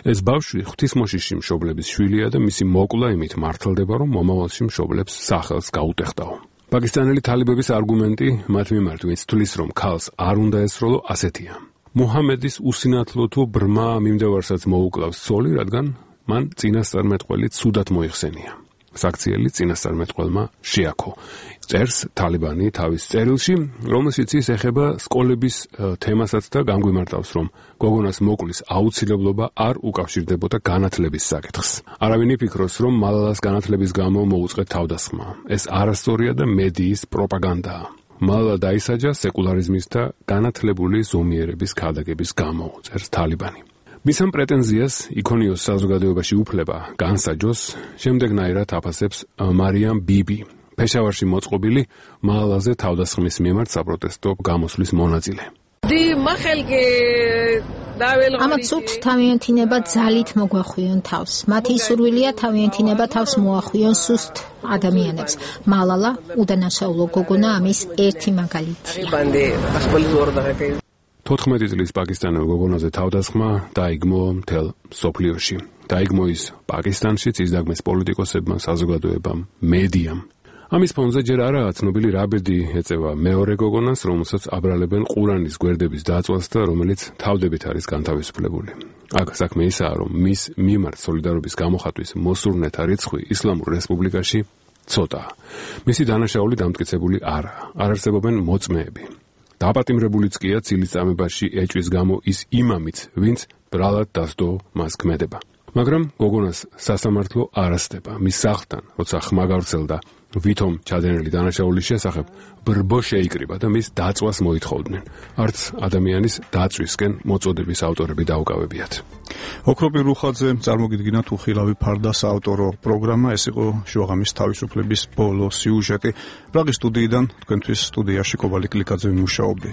ეს ბავშვი ღვთისმოშიში მშობლების შვილია და მისი მოკლა იმით მართლდება, რომ მომავალში მშობლებს სახელს გაუტეხდაო. პაკისტანელი თალიბების არგუმენტი მათ მიმართ, ვინც თვლის, რომ ქალს არ უნდა ესროლო, ასეთია. მუჰამედის უსინათლო თუ ბრმა მიმდევარსაც მოუკლავს ცოლი, რადგან მან წინასწარმეტყველი ცუდად მოიხსენია. საქციელი წინასწარმეტყველმა შეაქო. წერს თალიბანი თავის წერილში, რომელშიც ის ეხება სკოლების თემასაც და გამგვიმარტავს, რომ გოგონას მოკლის აუცილებლობა არ უკავშირდებოდა განათლების საკითხს. არავინ იფიქროს, რომ მალალას განათლების გამო მოუწყეთ თავდასხმა. ეს არასწორია და მედიის პროპაგანდაა. მალლა დაისაჯა სეკულარიზმის და განათლებული ზომიერების ქადაგების გამო, წერს თალიბანი. მის ამ პრეტენზიას იქონიოს საზოგადოებაში უფლება განსაჯოს, შემდეგნაირად აფასებს მარიამ ბიბი, ფეშავარში მოწყობილი მალალაზე თავდასხმის მიმართ საპროტესტო გამოსვლის მონაწილე. ამათ სურთ თავიანთინება ძალით მოგვახვიონ თავს. მათი სურვილია თავიანთინება თავს მოახვიონ სუსტ ადამიანებს. მალალა უდანაშაულო გოგონა ამის ერთი მაგალითია. თოთხმეტი წლის პაკისტანელ გოგონაზე თავდასხმა დაიგმო მთელ სოფლიოში. დაიგმო ის პაკისტანშიც, ისდაგმეს პოლიტიკოსებმა, საზოგადოებამ, მედიამ. ამის ფონზე ჯერ არაა ცნობილი რა ბედი ეწევა მეორე გოგონას, რომელსაც აბრალებენ ყურანის გვერდების დაწვას და რომელიც თავდებით არის განთავისუფლებული. აქ საქმე ისაა, რომ მის მიმართ სოლიდარობის გამოხატვის მოსურნეთა რიცხვი ისლამურ რესპუბლიკაში ცოტაა. მისი დანაშაული დამტკიცებული არაა. არ არსებობენ მოწმეები. დაპატიმრებულიც კია ცილისწამებაში ეჭვის გამო ის იმამიც, ვინც ბრალად დასდო მას ქმედება. მაგრამ გოგონას სასამართლო არ ასდება. მის სახლთან, როცა ხმა გავრცელდა ვითომ ჩადენილი დანაშაულის შესახებ, ბრბო შეიკრიბა და მის დაწვას მოითხოვდნენ. არც ადამიანის დაწვისკენ მოწოდების ავტორები დაუკავებიათ. ოქროპირ რუხაძე წარმოგიდგინათ უხილავი ფარდა საავტორო პროგრამა. ეს იყო შუაღამის თავისუფლების ბოლო სიუჟეტი. პრაღის სტუდიიდან თქვენთვის სტუდიაში კობალიკ ლიკაძე მუშაობდი.